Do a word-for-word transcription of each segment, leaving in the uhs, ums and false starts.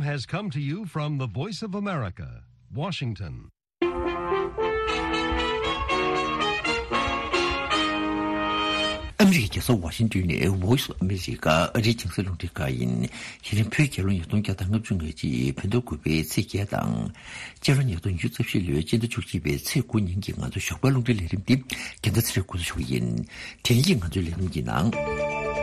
Has come to you from the Voice of America, Washington. ཨ་མི་རི་ཀའི་རྒྱལ་ས་ཝ་ཤིང་ཏོན་ནས་Voice of America ཨ་རིའི་རྒྱང་སྲིང་རླུང་འཕྲིན་ཁང་ཡིན། དེ་རིང་བོད་རྒྱལ་ལོ་ཉིས་སྟོང་བརྒྱ་དང་ལྔ་བཅུ་ང་གཅིག་བོད་ཟླ་དགུ་པའི་ཚེས་བརྒྱད་དང་། སྤྱི་ལོ་ཉིས་སྟོང་ཉི་ཤུ་རྩ་བཞི་ལོའི་སྤྱི་ཟླ་བཅུ་གཅིག་པའི་ཚེས་དགུ་ཉིན་གྱི་ང་ཚོའི་ཞོགས་པའི་རླུང་འཕྲིན་ལས་རིམ་འདི་རྒན་ཟླ་ཚེ་རིང་འགོ་འཛུགས་ཞུ་གི་ཡིན། དེ་རིང་གི་ང་ཚོའི་ལས་རིམ་གྱི་ནང་།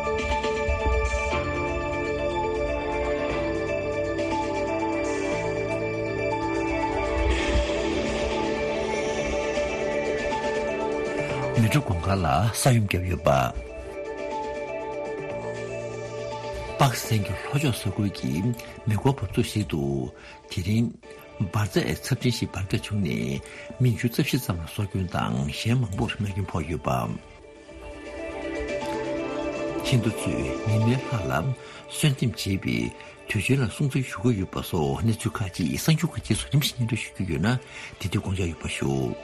མལ་གྲོ་གུང་དཀར་ལ་ས་ཡོམ་བརྒྱབ་ཡོད་པ། པ་ཀི་སི་ཐན་གྱི་ལྷོ་ཕྱོགས་ས་ཁུལ་གྱི་མེ་འཁོར་འབབ་ཚུགས་ཤིག་ཏུ། དེ་རིང་། འབར་རྫས་ཚབས་ཆེན་ཞིག་འབར་གས་བྱུང་ནས་མི་ཉི་ཤུ་རྩ་བཞི་ཙམ་ལ་སྲོག་སྐྱོན་དང་གཞན་མང་པོར་རྨས་སྐྱོན་ཕོག་ཡོད་པ། ཧིན་རྡུ་ཚོས་ཉི་མའི་ལྷ་ལ་གསོལ་འདེབས་བྱེད་པའི་དུས་ཆེན་ལ་སྲུང་བརྩི་ཞུ་གི་ཡོད་པ་སོགས་གནས་ཚུལ་ཁག་ཅིག་གསར་འགྱུར་ཁག་རྗེས་སུ་རིམ་བཞིན་སྙན་སྒྲོན་ཞུ་རྒྱུ་ཡོད་ན་དེ་དུས་དགོངས་འཇགས་ཡོད་པ་ཞུ།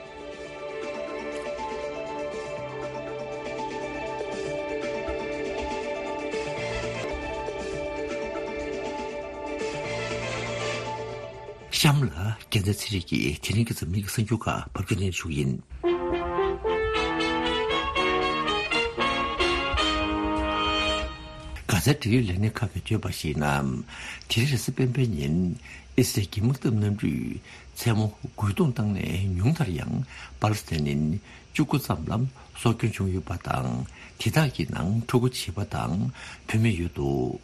གཤམ་ལ་རྒྱལ་མཚན་ཚེ་རིང་གིས་དེ་རིང་གི་འཛམ་གླིང་གི་གསར་འགྱུར་ཁག་ཕབ་སྒྱུར་གནང་ཞུ་གི་ཡིན། གྷ་ཛའི་འབྲེལ་ཡོད་ལས་སྣེ་ཁག་གིས་བརྗོད་པར་གཞིགས་ན། དེ་རིང་རེས་གཟའ་སྤེན་པའི་ཉིན་ཨི་སི་རལ་གྱི་དམག་འཐབ་གནམ་གྲུས་མཚན་མོ་རྒོལ་རྡུང་བཏང་ནས་ཉུང་མཐར་ཡང་པ་ལི་སི་ཐན་ནི་བཅུ་དགུ་ཙམ་ལ་སྲོག་སྐྱོན་བྱུང་ཡོད་པ་དང་། དེ་དག་གི་ནང་ཕྲུ་གུ་བྱིས་པ་དང་བུད་མེད་ཡོད་འདུག་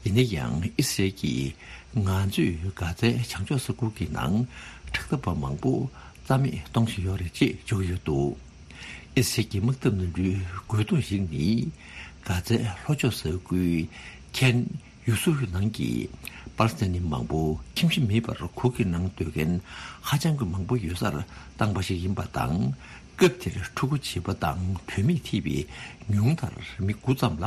ཡིན་ན་ཡང་ཨི་སི་རལ་གྱིས་ང་ཚོས་གྷ་ཛའི་བྱང་ཕྱོགས་ས་ཁུལ་གྱི་ནང་དྲག་འཐབ་པ་མང་པོ་རྩ་མེད་གཏོང་བཞིན་ཡོད་རེད་ཅེས་བརྗོད་ཀྱི་ཡོད་འདུག་ཨི་སི་རལ་གྱི་དམག་འཐབ་གནམ་གྲུའི་རྒོལ་རྡུང་ཞིག་ནི་གྷ་ཛའི་ལྷོ་ཕྱོགས་ས་ཁུལ་ཁན་ཡུ་སུར་ནང་གི་པ་ལི་སི་ཐན་ནི་མང་པོ་ཁྱིམ་གཞིས་མེད་པར་གུར་གྱི་ནང་སྡོད་མཁན་ཧ་ཅང་གི་མང་པོ་ཡོད་སར་བཏང་པ་ཞིག་ཡིན་པ་དང་། སྐབས་དེར་ཕྲུ་གུ་བྱིས་པ་དང་བུད་མེད་ཐེ་བའི་ཉུང་མཐར་མི་དགུ་ཙམ་ལ་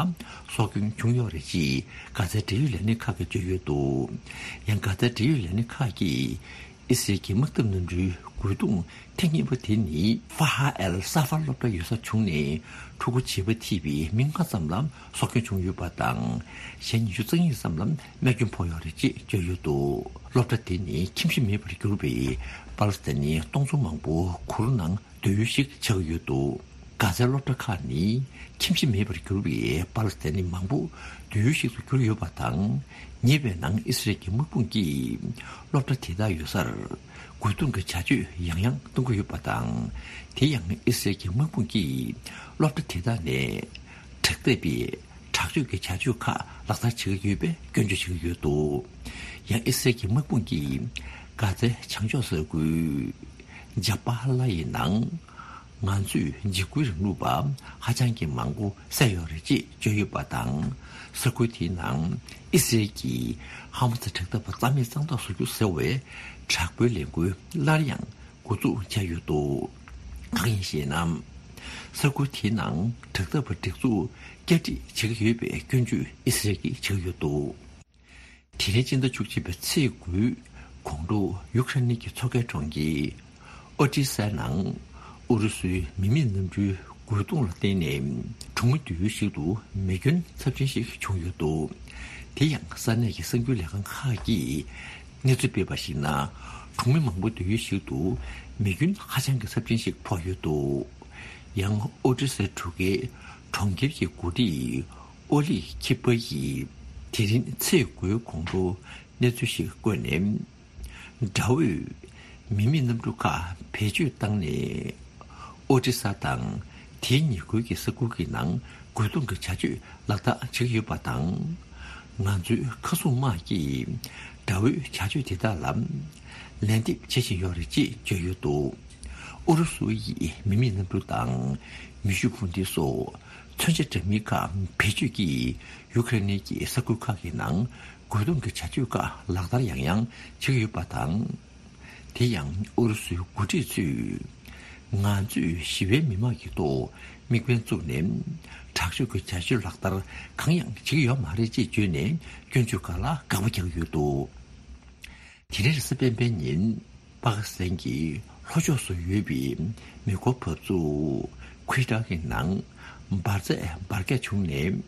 སྲོག་སྐྱོན་བྱུང་ཡོད་རེད་ཅེས་གྷ་ཛའི་འབྲེལ་ཡོད་ལས་སྣེ་ཁག་གིས་བརྗོད་ཡོད་འདུག་ཡང་གྷ་ཛའི་འབྲེལ་ཡོད་ལས་སྣེ་ཁག་གིས་ཨི་སི་རལ་གྱི་དམག་འཐབ་གནམ་གྲུའི་རྒོལ་རྡུང་ཐེངས་གཉིས་པ་དེ་ནི་ཧྥ་ཧ་ཨེལ་ས་ཧྥ་སློབ་གྲྭ་ཡོད་སར་བྱུང་ནས་ཕྲུ་གུ་བྱིས་པ་ཐེ་བའི་མི་ལྔ་ཙམ་ལ་སྲོག་སྐྱོན་བྱུང་ཡོད་པ་དང་། གཞན་ཉི་ཤུ་རྩ་གཉིས་ཙམ་ལ་རྨས་སྐྱོན་ཕོག་ཡོད་རེད་ཅེས་བརྗོད་ཡོད་འདུག་སློབ་གྲྭ་དེ་ནི་ཁྱིམ་གཞིས་མེད་པར་གྱུར་པའི་པ་ལི་སི་ཐན་ནི་སྟོང་ཚོ་མང་པོ་གུར་ནང་སྡོད་ཡུལ་ཞིག་ཆགས་ཡོད་འདུག་གྷ་ཛའི་སློབ་གྲྭ་ཁག་ནི་ཁྱིམ་གཞིས་མེད་པར་གྱུར་པའི་པ་ལི་སི་ཐན་ནི་མང་པོ་སྡོད་ཡུལ་ཞིག་ཏུ་གྱུར་ཡོད་པ་དང་། ཉེ་བའི་ནང་ཨི་སི་རལ་གྱི་དམག་དཔུང་གིས་སློབ་གྲྭ་དེ་དག་ཡོད་སར་རྒོལ་རྡུང་གི་བྱ་སྤྱོད་ཡང་ཡང་གཏོང་གི་ཡོད་པ་དང་། དེ་ཡང་ཨི་སི་རལ་གྱི་དམག་དཔུང་གིས་སློབ་གྲྭ་དེ་དག་ནས་དྲག་འཐབ་པའི་དྲག་སྤྱོད་ཀྱི་བྱ་སྤྱོད་ཁག་ལག་བསྟར་བྱེད་ཀྱི་ཡོད་པའི་སྐྱོན་བརྗོད་བྱེད་ཀྱི་ཡོད་འདུག་ཡང་ཨི་སི་རལ་གྱི་དམག་དཔུང་གིས་གྷ་ཛའི་བྱང་ཕྱོགས་ས་ཁུལ་ཇ་པ་ཧ་ལ་ཡི་ནང་ང་ཚོས་འཇིགས་སྐུལ་རིང་ལུགས་པ་ཧ་ཅང་གི་མང་པོ་བསད་ཡོད་རེད་ཅེས་བརྗོད་ཡོད་པ་དང་། ས་ཁུལ་དེའི་ནང་ཨི་སི་རལ་གྱིས་ཧ་མ་སི་དྲག་འཐབ་པ་རྩ་མེད་གཙང་དག་བཟོ་རྒྱུ་ཟེར་བའི་དྲག་པོའི་ལས་འགུལ་སླར་ཡང་འགོ་འཛུགས་བྱས་ཡོད་འདུག་གང་ཡིན་ཞེ་ན། ས་ཁུལ་དེའི་ནང་དྲག་འཐབ་པ་སྒྲིག་འཛུགས་བསྐྱར་སྒྲིག་བྱེད་ཀྱི་ཡོད་པའི་སྐྱོན་བརྗོད་ཨི་སི་རལ་གྱིས་བྱེད་ཀྱི་ཡོད་འདུག་དེ་རིང་སྤྱི་ཟླ་བཅུ་གཅིག་པའི་ཚེས་དགུའི་དགོང་དྲོ་ཡུ་ཁ་རེན་གྱི་མཚོ་ཁའི་གྲོང་ཁྱེར་ཨོ་ཏི་ས་ནང་ཨུ་རུ་སུའི་མི་མེད་གནམ་གྲུའི་རྒོལ་རྡུང་ལ་བརྟེན་ནས་གྲོང་མི་སྡོད་ཡུལ་ཞིག་ཏུ་མེ་སྐྱོན་ཚབས་ཆེན་ཞིག་བྱུང་ཡོད་འདུག་དེ་ཡང་ས་གནས་ཀྱི་གསར་འགྱུར་ལས་ཁང་ཁག་གིས་གནས་ཚུལ་སྤེལ་བར་གཞིགས་ན། གྲོང་མི་མང་པོ་སྡོད་ཡུལ་ཞིག་ཏུ་མེ་སྐྱོན་ཧ་ཅང་གི་ཚབས་ཆེན་ཞིག་ཕོག་ཡོད་འདུག་ཡང་ཨོ་ཏི་སའི་གྲུ་ཁའི་གྲོང་ཁྱེར་གྱི་འགོ་ཁྲིད་ཨོ་ལི་ཁི་པ་ཡིས་དེ་རིང་ཚེས་དགུའི་དགོང་དྲོ་གནས་ཚུལ་ཞིག་བཀོད་ནས། དགྲ་བོས་མི་མེད་གནམ་གྲུ་ཁག་བེད་སྤྱོད་བཏང་ནས་ཨོ་ཏི་ས་དང་དེའི་ཉེ་ཁུལ་གྱི་ས་ཁུལ་གྱི་ནང་རྒོལ་རྡུང་གི་བྱ་སྤྱོད་ལག་བསྟར་བྱེད་ཀྱི་ཡོད་པ་དང་། ང་ཚོའི་མཁའ་སྲུང་དམག་གིས་དགྲ་བོའི་བྱ་སྤྱོད་དེ་དག་ལ་ལན་འདེབས་བྱེད་བཞིན་ཡོད་རེད་ཅེས་བརྗོད་ཡོད་འདུག་ཨུ་རུ་སུ་ཡིས་མི་མེད་གནམ་གྲུ་དང་མེ་ཤུགས་འཕུར་མདེལ་སོགས་མཚོན་ཆ་འདྲ་མིན་ཁག་བེད་སྤྱོད་ཀྱིས་ཡུ་ཁ་རེ་ནི་གྱི་ས་ཁུལ་ཁག་གི་ནང་རྒོལ་རྡུང་གི་བྱ་སྤྱོད་ཁག་ལག་བསྟར་ཡང་ཡང་བྱེད་ཀྱི་ཡོད་པ་དང་། དེ་ཡང་ཨུ་རུ་སུའི་འགོ་ཁྲིད་ཚོས་ང་ཚོས་ཞི་བའི་མི་དམངས་ཀྱི་ཐོག་དམིགས་འབེན་བཙུགས་ནས་དྲག་སྤྱོད་ཀྱི་བྱ་སྤྱོད་ལག་བསྟར་གང་ཡང་བྱེད་ཀྱི་ཡོད་མ་རེད་ཅེས་བརྗོད་ནས་སྐྱོན་བརྗོད་ཁག་ལ་དགག་པ་རྒྱག་གི་ཡོད་འདུག་དེ་རིང་རེས་གཟའ་སྤེན་པའི་ཉིན་པ་ཀི་སི་ཐན་གྱི་ལྷོ་ཕྱོགས་སུ་ཡོད་པའི་མེ་འཁོར་འབབ་ཚུགས་ཁུའི་ཊ་གི་ནང་འབར་རྫས་འབར་གས་བྱུང་ནས།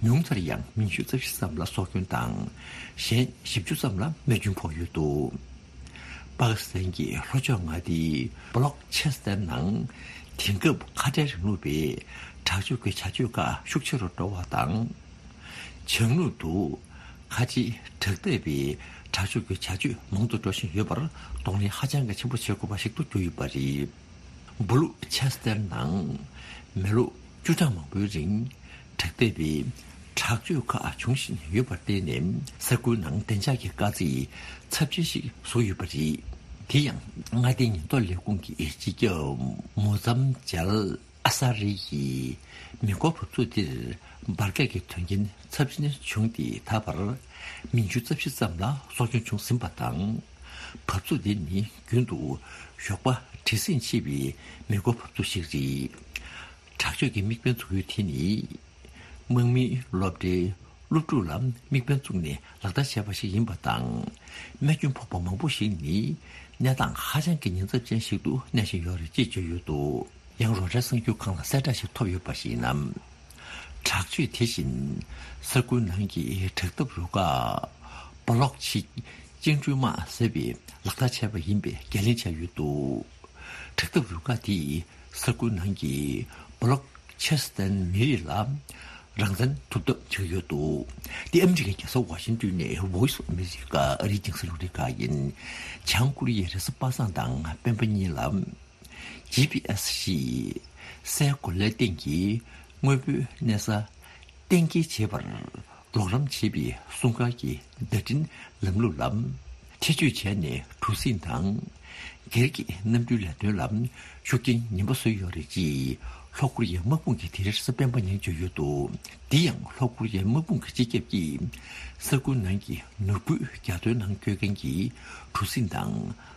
ཉུང་མཐར་ཡང་མི་ཉི་ཤུ་རྩ་བཞི་ཙམ་ལ་སྲོག་སྐྱོན་དང་། གཞན་བཞི་བཅུ་ཙམ་ལ་རྨས་སྐྱོན་ཕོག་ཡོད་འདུག། པ་ཀི་སི་ཐན་གྱི་ལྷོ་ཕྱོགས་མངའ་སྡེའི་བྷ་ལོག་ཆེ་སི་ཐན་ནང་དེང་སྐབས་ཁ་བྲལ་རིང་ལུགས་པའི་དྲག་སྤྱོད་ཀྱི་བྱ་སྤྱོད་ཁག་ཤུགས་ཆེ་རུ་འགྲོ་བ་དང་། བྱང་ནུབ་ཏུ་ཁ་ཆེའི་དྲག་འཐབ་པའི་དྲག་སྤྱོད་ཀྱི་བྱ་སྤྱོད་མང་དུ་འགྲོ་བཞིན་ཡོད་པར་གདོང་ལེན་ཧ་ཅང་གི་ཆེན་པོ་བྱེད་དགོས་པ་ཞིག་ཏུ་གྱུར་ཡོད་པ་རེད། བྷ་ལོག་ཆེ་སི་ཐན་ནང་མི་ལོ་བཅུ་གྲངས་མང་པོའི་རིང་དྲག་འཐབ་པའི་དྲག་སྤྱོད་ཁག་འབྱུང་བཞིན་ཡོད་པར་བརྟེན་ནས། ས་ཁུལ་ནང་བདེ་འཇགས་ཀྱི་དཀའ་ཚེགས་ཚབས་ཆེན་ཞིག་བཟོ་ཡོད་པ་རེད། དེ་ཡང་མངའ་སྡེའི་ཉེན་རྟོག་ལས་ཁུངས་ཀྱི་སྤྱི་ཁྱབ་མུ་ཛམ་ཇལ་ཨ་ས་རི་ཡིས་མེ་འཁོར་འབབ་ཚུགས་དེར་འབར་གས་ཀྱི་དོན་རྐྱེན་ཚབས་ཆེན་བྱུང་སྟེ། ད་བར་མི་ཉི་ཤུ་རྩ་བཞི་ཙམ་ལ་སྲོག་སྐྱོན་བྱུང་ཟིན་པ་དང་། འབབ་ཚུགས་དེ་ནི་རྒྱུན་དུ་ཞོགས་པ་བྲེལ་ཟིང་ཆེ་བའི་མེ་འཁོར་འབབ་ཚུགས་ཤིག་རེད། དྲག་སྤྱོད་ཀྱི་དམིགས་འབེན་འཛུགས་ཡུལ་དེ་ནི། དམག་མིའི་སློབ་གྲྭའི་སློབ་ཕྲུག་ལ་དམིགས་འབེན་བཙུགས་ནས་ལག་བསྟར་བྱས་པ་ཞིག་ཡིན་པ་དང་། རྨས་སྐྱོན་ཕོག་པ་མང་པོ་ཞིག་ནི་གནས་སྟངས་ཧ་ཅང་གི་ཉེན་ཚབས་ཅན་ཞིག་ཏུ་གནས་བཞིན་ཡོད་རེད་ཅེས་བརྗོད་ཡོད་འདུག། ཡང་རོའི་ཊར་གསར་འགྱུར་ཁང་ལ་གསལ་བསྒྲགས་ཤིག་ཐོབ་ཡོད་པར་གཞིགས་ན། དྲག་སྤྱོད་དེ་བཞིན་ས་ཁུལ་ནང་གི་དྲག་འཐབ་རུ་ཁག་བྷ་ལོག་ཆི་ཅིང་ཀྲུའུ་དམག་ཟེར་བས་ལག་བསྟར་བྱས་པ་ཡིན་པའི་འགན་ལེན་བྱས་ཡོད་འདུག། དྲག་འཐབ་རུ་ཁག་དེས་ས་ཁུལ་ནང་གི་བྷ་ལོག་ཆེ་སི་ཐན་མི་རིགས་ལ་རང་བཙན་ཐུབ་ཐབས་བྱེད་ཀྱི་ཡོད་འདུག། འདི་ཨ་མི་རི་ཀའི་རྒྱལ་ས་ཝ་ཤིང་ཏོན་ནས་Voice of America ཨ་རིའི་རྒྱང་སྲིང་རླུང་འཕྲིན་ཁང་ཡིན། བྱང་ཀོ་རི་ཡའི་རེས་གཟའ་པ་སངས་དང་སྤེན་པ་གཉིས་ལ་ཇི་པི་ཨེ་སི་ཞེས་སའི་གོ་ལའི་སྟེང་གི་དངོས་པོའི་གནས་ས་གཏན་འཁེལ་བྱེད་པར་རོགས་རམ་བྱེད་པའི་སྲུང་སྐར་གྱི་བརྡ་འཕྲིན་ལམ་ལུགས་ལ་ཐེ་བྱུས་བྱས་ནས་གྲུ་གཟིངས་དང་སྒེར་གྱི་གནམ་གྲུའི་ལས་དོན་ལ་ཤུགས་རྐྱེན་ངན་པ་བཟོས་ཡོད་རེད་ཅེས་ལྷོ་ཀོ་རི་ཡའི་དམག་དཔུང་གིས་དེ་རིང་རེས་གཟའ་སྤེན་པ་ཉིན་བརྗོད་ཡོད་འདུག། འདི་ཡང་ལྷོ་ཀོ་རི་ཡའི་དམག་དཔུང་གི་སྤྱི་ཁྱབ་ཀྱིས་ས་ཁུལ་ནང་གི་ནོར་བུའི་རྒྱ་མཚོའི་ནང་སྐྱོད་མཁན་གྱི་གྲུ་གཟིངས་དང་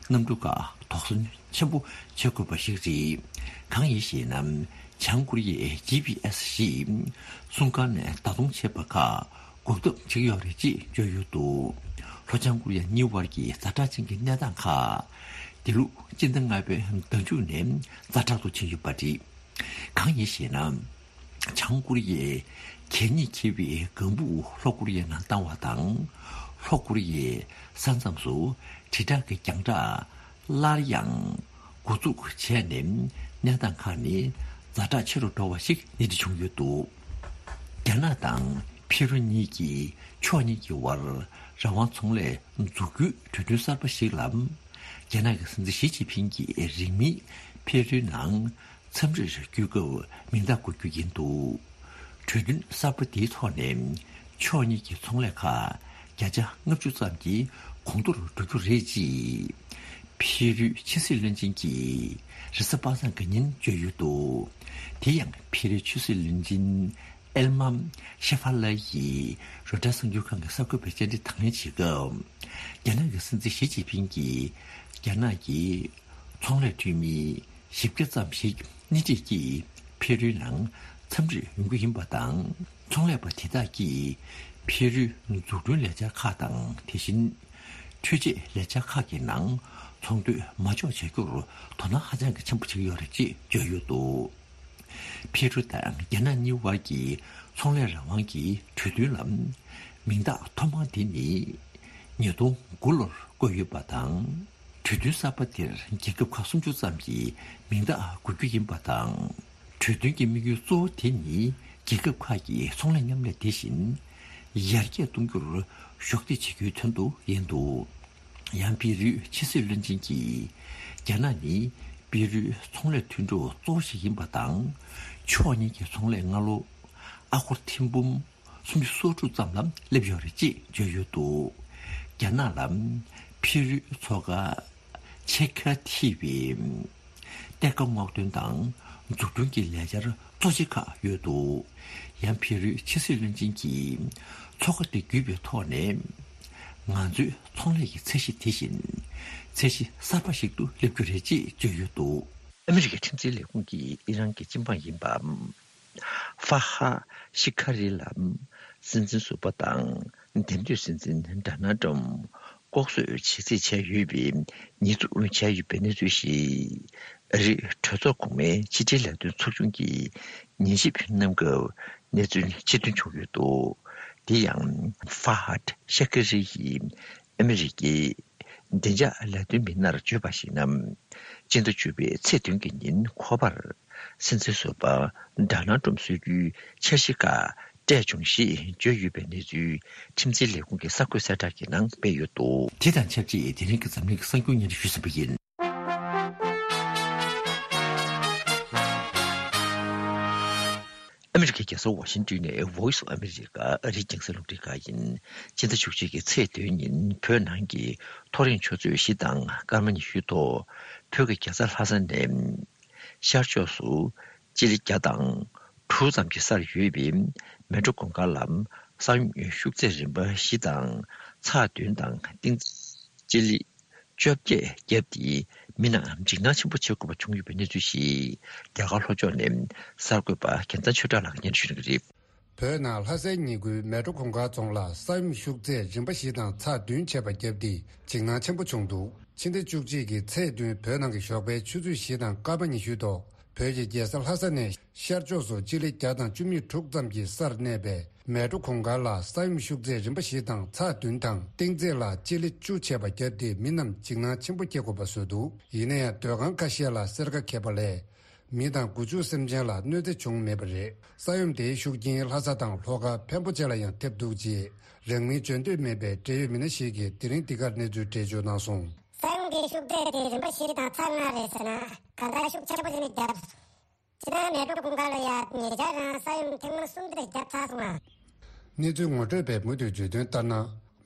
གནམ་གྲུ་ཁག་དོགས་ཟོན་ཆེན་པོ་བྱེད་དགོས་པ་ཞིག་རེད། གང་ཡིན་ཞེ་ན། བྱང་ཀོ་རི་ཡའི་ཇི་པི་ཨེ་སི་ཞེས་སྲུང་སྐར་ནས་བརྡ་གཏོང་བྱེད་པ་ཁག་འགོག་ཐབས་བྱེད་ཀྱི་ཡོད་རེད་ཅེས་བརྗོད་ཡོད་འདུག། ལྷོ་བྱང་ཀོ་རི་ཡ་གཉིས་དབར་གྱི་ཛ་དྲག་ཅན་གྱི་གནས་སྟངས་ཁག་འདི་ལོ་སྤྱི་ཟླ་ལྔ་པའི་ཟླ་མཇུག་ནས་ཛ་དྲག་ཏུ་ཕྱིན་ཡོད་པ་རེད། གང་ཡིན་ཞེ་ན། བྱང་ཀོ་རི་ཡས་གད་སྙིགས་འཁྱེར་བའི་ལྒང་བུ་ལྷོ་ཀོ་རི་ཡའི་ནང་བཏང་བ་དང་། ལྷོ་ཀོ་རི་ཡའི་ས་མཚམས་སུ་དྲིལ་བསྒྲགས་ཀྱི་རྒྱང་བསྒྲགས་སླར་ཡང་འགོ་འཛུགས་བྱས་ནས་གནས་སྟངས་ཁག་ནི་ཛ་དྲག་ཆེ་རུ་འགྲོ་བ་ཞིག་སྣེ་ཁྲིད་བྱུང་ཡོད་འདུག། རྒྱ་ནག་དང་ཕི་རུ་གཉིས་ཀྱིས་ཕྱོགས་གཉིས་ཀྱི་དབར་རང་དབང་ཚོང་ལས་འཛུགས་རྒྱུའི་གྲོས་མཐུན་གསར་པ་ཞིག་ལ། རྒྱ་ནག་གི་སྲིད་འཛིན་ཞི་ཅིན་ཕིང་གིས་རིང་མིན་ཕི་རུའི་ནང་འཚམས་འདྲིར་འགྱུར་སྐབས་མིང་རྟགས་འགོད་རྒྱུ་ཡིན་འདུག། གྲོས་མཐུན་གསར་པ་འདིའི་ཐོག་ནས་ཕྱོགས་གཉིས་ཀྱི་ཚོང་ལས་ཁག་བརྒྱ་ཆ་ལྔ་བཅུ་ཙམ་གྱིས་གོང་མཐོར་འགྲོ་རྒྱུ་རེད་ཅེས་ཕི་རུའི་ཕྱི་སྲིད་བློན་ཆེན་གྱིས་རེས་གཟའ་པ་སངས་ཀྱི་ཉིན་བརྗོད་ཡོད་འདུག། དེ་ཡང་ཕི་རུའི་ཕྱི་སྲིད་བློན་ཆེན་ཨེལ་མམ་ཤེ་ཧྥ་ལ་ཡིས་རོའི་ཊར་གསར་འགྱུར་ཁང་གི་གསར་འགོད་པའི་བཅར་འདྲི་དང་ལེན་བྱེད་སྐབས། རྒྱ་ནག་གི་སྲིད་འཛིན་ཞི་ཅིན་ཕིང་གིས་རྒྱ་ནག་གི་ཚོང་ལས་འཐུས་མི་བཞི་བརྒྱ་ཙམ་ཞིག་སྣེ་ཁྲིད་ཀྱིས་ཕེ་རུའི་ནང་འཚམས་འདྲིར་ཡོང་རྒྱུ་ཡིན་པ་དང་། ཚོང་ལས་པ་དེ་དག་གིས་ཕེ་རུའི་འཛུགས་སྐྲུན་ལས་འཆར་ཁག་དང་། དེ་བཞིན་འཕྲུལ་ཆས་ལས་འཆར་ཁག་གི་ནང་ཚོང་དོན་མ་འཇོག་བྱ་རྒྱུར་དོ་སྣང་ཧ་ཅང་གི་ཆེན་པོ་བྱེད་ཀྱི་ཡོད་རེད་ཅེས་བརྗོད་ཡོད་འདུག། ཕེ་རུ་དང་རྒྱ་ནག་གཉིས་དབར་གྱི་ཚོང་ལས་རང་དབང་གི་གྲོས་མཐུན་ལ་མིང་རྟགས་ཐོག་མ་དེ་ནི་ཉིས་སྟོང་དགུ་ལོར་བཀོད་ཡོད་པ་དང་། གྲོས་མཐུན་གསར་པ་དེར་རྒྱལ་ཁབ་ཁག་སུམ་ཅུ་ཙམ་གྱིས་མིང་རྟགས་འགོད་རྒྱུ་ཡིན་པ་དང་། གྲོས་མཐུན་གྱི་དམིགས་ཡུལ་གཙོ་བོ་དེ་ནི་རྒྱལ་ཁབ་ཁག་གི་ཚོང་ལས་མཉམ་ལས་དེ་བཞིན་ཡར་རྒྱས་གཏོང་རྒྱུར་གཞོགས་འདེགས་བྱེད་རྒྱུའི་དོན་དུ་ཡིན་འདུག། ཡང་པི་རུའི་ཕྱི་སྲིད་བློན་ཆེན་གྱིས། རྒྱ་ནག་ནི་པི་རུའི་ཚོང་ལས་མཐུན་གྲོགས་གཙོ་བོ་ཞིག་ཡིན་པ་དང་། ཕྱོགས་གཉིས་ཀྱི་ཚོང་ལས་སྔ་ལོ་ཨ་སྒོར་ཐེར་འབུམ་སུམ་ཅུ་སོ་དྲུག་ཙམ་ལ་སླེབས་ཡོད་རེད་ཅེས་བརྗོད་ཡོད་འདུག། རྒྱ་ནག་ལ་ཕི་རུའི་མཚོ་ཁ་ཆེ་ཁ་ཐི་བའི་གཏེར་ཁ་སྔོག་འདོན་དང་འཛུགས་སྐྲུན་གྱི་ལས་འཆར་གཙོ་ཆེ་ཁག་ཡོད་འདུག། ཡང་ཕི་རུའི་ཕྱི་སྲིད་བློན་ཆེན་གྱིས་མཚོ་ཁ་དེ་བརྒྱུད་པའི་ཐོག་ནས་ང་ཚོའི་ཚོང་ལས་ཀྱི་ཚད་གཞི་དེ་བཞིན་ཚད་གཞི་གསར་པ་ཞིག་ཏུ་སླེབས་རྒྱུ་རེད་ཅེས་བརྗོད་ཡོད་འདུག། ཨ་མི་རི་ཀའི་ཁྲིམས་འཛིན་ལས་ཁུངས་ཀྱིས་ཨི་རན་གྱི་སྤྱི་འབངས་ཡིན་པ་ཧྥ་ཧ་ཤི་ཁ་རི་ལ་སྲིད་འཛིན་ཟུར་པ་དང་འདེམས་ཐོན་སྲིད་འཛིན་ཌོ་ནལ་ཏྲམ་ལྐོག་གསོད་བྱེད་རྩིས་བྱས་ཡོད་པའི་ཉེས་འཛུགས་བྱས་ཡོད་པའི་གནས་ཚུལ་ཞིག་ཨ་རིའི་གྲོས་ཚོགས་གོང་མའི་ཕྱི་འབྲེལ་ལས་དོན་ཚོགས་ཆུང་གིས་ཉན་ཞིབ་གནང་སྐབས། གནས་ཚུལ་ཕྱིར་ཐོན་བྱུང་ཡོད་འདུག། དེ་ཡང་ཧྥ་ཧད་ཤ་ཁི་རི་ཡིས་ཨ་མི་རི་ཀའི་བདེ་འཇགས་ལས་དོན་མི་སྣར་བརྗོད་པར་གཞིགས་ན། སྤྱི་ཟླ་བཅུ་པའི་ཚེས་བདུན་གྱི་ཉིན་ཁོ་པར་སྲིད་འཛིན་ཟུར་པ་ཌོ་ནལ་ཏྲམ་གསོལ་རྒྱུའི་འཆར་གཞི་ཁག་སྤྲད་བྱུང་ཞེས་བརྗོད་ཡོད་པའི་གནས་ཚུལ་ཁྲིམས་འཛིན་ལས་ཁུངས་ཀྱི་གསར་འགོད་གསལ་བསྒྲགས་ཀྱི་ནང་སྤེལ་ཡོད་འདུག། དེ་དང་ཆབས་ཅིག་དེ་རིང་གི་འཛམ་གླིང་གི་གསར་འགྱུར་སྙན་སྒྲོན་ཞུས་ཟིན་པ་ཡིན། ཨ་མི་རི་ཀའི་རྒྱལ་ས་ཝ་ཤིང་ཏོན་ནས་Voice of America ཨ་རིའི་རྒྱང་སྲིང་རླུང་འཕྲིན་ཁང་ཡིན། སྤྱི་ཟླ་བཅུ་གཅིག་གི་ཚེས་བདུན་ཉིན་བོད་ནང་གི་ཐོ་རེངས་ཆུ་ཚོད་བཞི་དང་སྐར་མ་ཉི་ཤུའི་ཐོག་བོད་ཀྱི་རྒྱལ་ས་ལྷ་ས་ནས་ཤར་ཕྱོགས་སུ་སྤྱི་ལེ་བརྒྱ་དང་དྲུག་ཙམ་གྱི་སར་ཡོད་པའི་མལ་གྲོ་གུང་དཀར་ལ་ས་ཡོམ་ཤུགས་ཚད་རིམ་པ་བཞི་དང་ཚེག་བདུན་དང་ཏིང་སྤྱི་ལེ་བཅོ་བརྒྱད་བརྒྱབ་སྟེ་མི་རྣམས་འཇིགས་སྣང་ཆེན་པོ་བྱེད་དགོས་པ་བྱུང་ཡོད་པའི་གནས་ཚུལ་ཞིག་རྒྱ་གར་ལྷོ་ཕྱོགས་ནས་གསར་འགོད་པ་རྒྱལ་མཚན་ཆོས་གྲགས་ལགས་ཀྱིས་སྙན་སྒྲོན་ཞུ་གནང་གི་རེད། བོད་ནང་ལྷ་སའི་ཉེ་ཁུལ་མལ་གྲོ་གུང་དཀར་རྫོང་ལ་ས་ཡོམ་ཤུགས་ཚད་རིམ་པ་བཞི་དང་ཚེག་བདུན་བྱས་པ་བརྒྱབ་སྟེ་འཇིགས་སྣང་ཆེན་པོ་བྱུང་འདུག། ཕྱི་ཟླ་བཅུ་གཅིག་གི་ཚེས་བདུན་བོད་ནང་གི་ཞོགས་པའི་ཆུ་ཚོད་བཞི་དང་སྐར་མ་ཉི་ཤུའི་ཐོག་བོད་ཀྱི་རྒྱལ་ས་ལྷ་ས་ནས་ཤར་ཕྱོགས་སུ་སྤྱི་ལེ་བརྒྱ་དང་བཅུ་མེད་དྲུག་ཙམ་གྱི་སར་གནས་པའི་མལ་གྲོ་གུང་དཀར་ལ་ས་ཡོམ་ཤུགས་ཚད་རིམ་པ་བཞི་དང་ཚེག་བདུན་དང་ཏིང་ཚེག་ལ་སྤྱི་ལེ་བཅུ་བྱས་པ་བརྒྱབ་སྟེ་མི་རྣམས་འཇིགས་སྣང་ཆེན་པོ་སྐྱེ་དགོས་པ་བཟོས་འདུག། ཡིན་ན་ཡང་སྡོད་ཁང་ཁ་ཤས་ལ་སེར་ཁ་འཁྱེར་པ་ལས་མི་དང་སྒོ་ཕྱུགས་སེམས་ཅན་ལ་གནོད་འཚེ་བྱུང་མེད་པ་རེད། ས་ཡོམ་དེའི་ཤུགས་རྐྱེན་ལྷ་ས་དང་ལྷོ་ཁ་འཕན་པོ་བཅས་ལ་ཡང་ཐེབས་འདུག་ཅེས་རང་མིང་བརྗོད་འདོད་མེད་པའི་འབྲེལ་ཡོད་མི་སྣ་ཞིག་གིས་དེ་རིང་འདི་གར་གནས་ཚུལ་འགྲེལ་བརྗོད་གནང་སོང་། ས་ཡོམ་གྱི་ཤུགས་ཚད་དེ་རིམ་པ་བཞི་དང་ཚེག་ལྔ་རེད་ཟེར་ན་གང་ལྟར་ཤུགས་ཆེན་པོ་ཞིག་ནས་བརྒྱབ། སྤྱིར་བཏང་མལ་གྲོ་གུང་དཀར་ལ་ཡ་ཉེ་ཆར་རང་ས་ཡོམ་ཐེངས་མ་གསུམ་དེ་བརྒྱབ་ཚར་སོང་ང་། གནས་ཚུལ་ངོ་སྤྲོད་པས་མུ་མཐུད་བརྗོད་དོན་ལྟར་ན།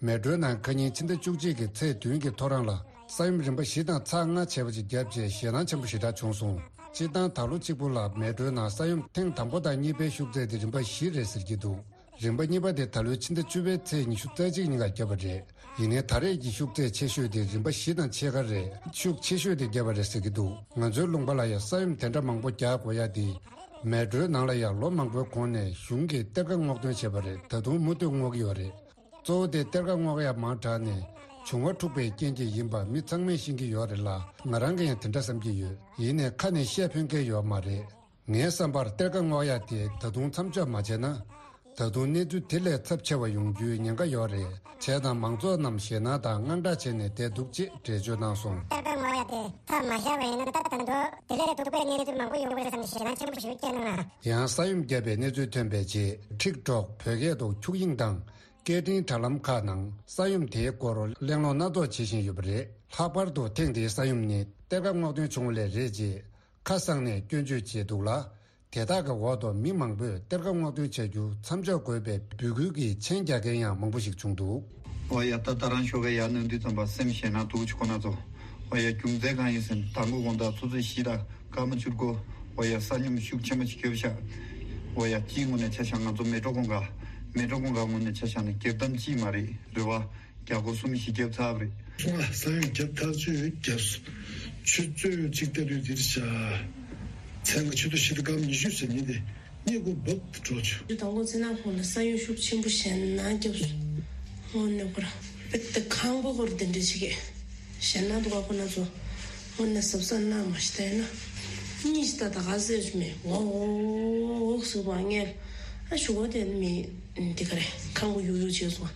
མལ་གྲོའི་ནང་ཁ་ཉིན་ཕྱི་ཟླ་བཅུ་གཅིག་གི་ཚེས་བདུན་གྱི་ཐོ་རངས་ལ་ས་ཡོམ་རིམ་པ་བཞི་དང་ཚེག་ལྔ་བྱས་པ་ཅིག་བརྒྱབ་རྗེས་ཞེད་སྣང་ཆེན་པོ་ཞེ་དྲག་བྱུང་སོང་། སྤྱིར་བཏང་ད་ལོ་གཅིག་པུ་ལ་མལ་གྲོའི་ནང་ས་ཡོམ་ཐེངས་དང་པོ་དང་གཉིས་པའི་ཤུགས་ཚད་དེ་རིམ་པ་བཞི་རེད་ཟེར་གྱི་འདུག། རིམ་པ་གཉིས་པ་དེ་ད་ལོའི་ཕྱི་ཟླ་བཅུ་པའི་ཚེས་ཉི་ཤུ་རྩ་གཅིག་ཉིན་ཀ་བརྒྱབ་པ་རེད། ཡིན་ནའི་ད་རེས་ཀྱི་ཤུགས་ཚད་ཆེ་ཤོས་དེ་རིམ་པ་བཞི་དང་ཕྱེད་ཀ་རེད། ཤུགས་ཆེ་ཤོས་དེ་བརྒྱབ་པ་རེད་ཟེར་གྱི་འདུག། ང་ཚོའི་ལུང་པ་ལ་ཡང་ས་ཡོམ་དེ་འདྲ་མང་པོ་རྒྱག་དགོས་ཡ་དེ། མལ་གྲོའི་ནང་ལ་ཡང་ལོ་མང་པོའི་གོང་ནས་གཞུང་གིས་གཏེར་ཁ་སྔོག་འདོན་བྱས་པ་རེད། ད་དུང་མུ་མཐུད་སྔོག་གི་ཡོད་རེད། གཙོ་བོ་དེ་གཏེར་ཁ་སྔོག་ཡ་མང་དྲགས་ནས་བྱུང་བ་འཁྲུགས་པའི་རྐྱེན་གྱིས་ཡིན་པ་མི་ཚང་མས་ཤེས་ཀྱི་ཡོད་རེད་ལ། ང་རང་གིས་ཡང་དེ་འདྲ་བསམ་གྱི་ཡོད། ཡིན་ནའི་ཁ་ནས་བཤད་ཕོད་མཁན་ཡོད་མ་རེད། ངའི་བསམ་པར་གཏེར་ཁ་སྔོག་ཡ་དེ་ད་དུང་མཚམས་འཇོག་མ་བྱས་ན། ད་དུང་གནས་ཚུལ་དེ་ལས་ཚབས་ཆེ་བ་ཡོང་རྒྱུའི་ཉེན་ཁ་ཡོད་རེད། བྱས་ཙང་མང་ཚོགས་རྣམས་ཞེད་སྣང་དང་དངངས་སྐྲག་བྱས་ནས་བསྡད་འདུག་ཅེས་འགྲེལ་བརྗོད་གནང་སོང་། གཏེར་ཁ་སྔོག་ཡ་དེ་མཚམས་མ་བཞག་པ་ཡིན་ན་ད་ད་དུང་དེ་ལས་སྡུག་པའི་གནས་ཚུལ་མང་པོ་ཡོང་གི་རེད་བསམ་ནས་ཞེད་སྣང་ཆེན་པོ་ཞིག་སྐྱེས་གནང་ང་། ཡང་ས་ཡོམ་བརྒྱབ་པའི་གནས་ཚུལ་ཐོན་པའི་རྗེས་ཊིག་ཊོག་བོད་སྐད་དུ་འཁྱུག་དབྱིངས་དང་། སྐད་འཕྲིན་དྲ་ལམ་ཁག་ནང་ས་ཡོམ་དེའི་སྐོར་གླེང་སློང་སྣ་ཚོགས་བྱེད་བཞིན་ཡོད་པ་རེད། ལྷག་པར་དུ་ཐེངས་འདིའི་ས་ཡོམ་ནི་གཏེར་ཁ་སྔོག་འདོན་བྱུང་བ་ལས་རེད་ཅེས་ཁ་གསང་ནས་སྐྱོན་བརྗོད་བྱས་འདུག་ལ། དེ་དག་གི་འོག་ཏུ་མི་མང་པོས་གཏེར་ཁ་སྔོག་འདོན་བྱ་རྒྱུ་མཚམས་འཇོག་དགོས་པའི་འབོད་སྐུལ་གྱི་མཆན་རྒྱག་མཁན་ཡང་མང་པོ་ཞིག་བྱུང་འདུག། ཨོ་ཡ། ད་ད་རང་ཞོགས་ཀས་ཡར་ནང་དུས་ཙམ་པ་སེམས་ཞེད་སྣང་སྡུག་ཅིག་ཁོ་ན་ཚོ། ཨོ་ཡ། རྒྱུ་མཚན་གང་ཡིན་ཟེར་ན་དང་པོ་དགོང་དག་ཆུ་ཚོད་བཞི་དང་སྐར་མ་བཅུ་དགུ། ཨོ་ཡ། ས་སྙོམས་ཤུགས་ཆེན་པོ་ཞིག་བརྒྱབ་ཤག། ཨོ་ཡ། སྤྱིའི་ངོས་ནས་ཆ་བཞག་ང་ཚོ་མལ་གྲོ་གུང་དཀར། མལ་གྲོ་གུང་དཀར་ངོས་ནས་ཆ་བཞག་ན་སྒེར་གཏམ་ཅིག་མ་རེད། རེད་བ། རྒྱ་སྒོར་གསུམ་བཞི་བརྒྱབ་ཚར་བ་རེད། སོང་ང་ས་ཡོམ་བརྒྱབ་ཐག་ཆོད་བརྒྱབ་སོང་། ཆུ་ཚོད་གཅིག་ལྟ་དུས་འདིར་བཞག། མཚན་གྱི་ཆུ་ཚོད་བཞི་དང་སྐར་མ་ཉི་ཤུ་ཟེར་ཉིན་དེ་སྙེ་གུ་འབབ་ཏུ་འགྲོ་བྱུང་། དང་པོ་ཚེ་ན་ཁོང་ལ་ས་ཡོམ་ཤུགས་ཆེན་པོ་ཞེད་སྣང་བརྒྱབ་སོང་། དངོས་གནས་ཁོ་ར་དཔེ་དེ་ཁང་པ་ཁོ་ར་དེ་འདྲ་ཞིག་གི་ཞེད་སྣང་འདུག་ག་ཁོ་ན་ཚོ་དངོས་གནས་གཟབ་གཟབ་གནང་མ་ཤི་ད་ཡིན་ན་གཉིས་ཤི་ད་ད་ག་ཟེར་མེད་འོག་འོག་འོག་ཟུག་པ་ངས་ཨ་ཞུ་བ་དེ་མི་འདི་ག་རེ་ཁང་པ་ཡུག་ཡུག་བྱས་སོང་།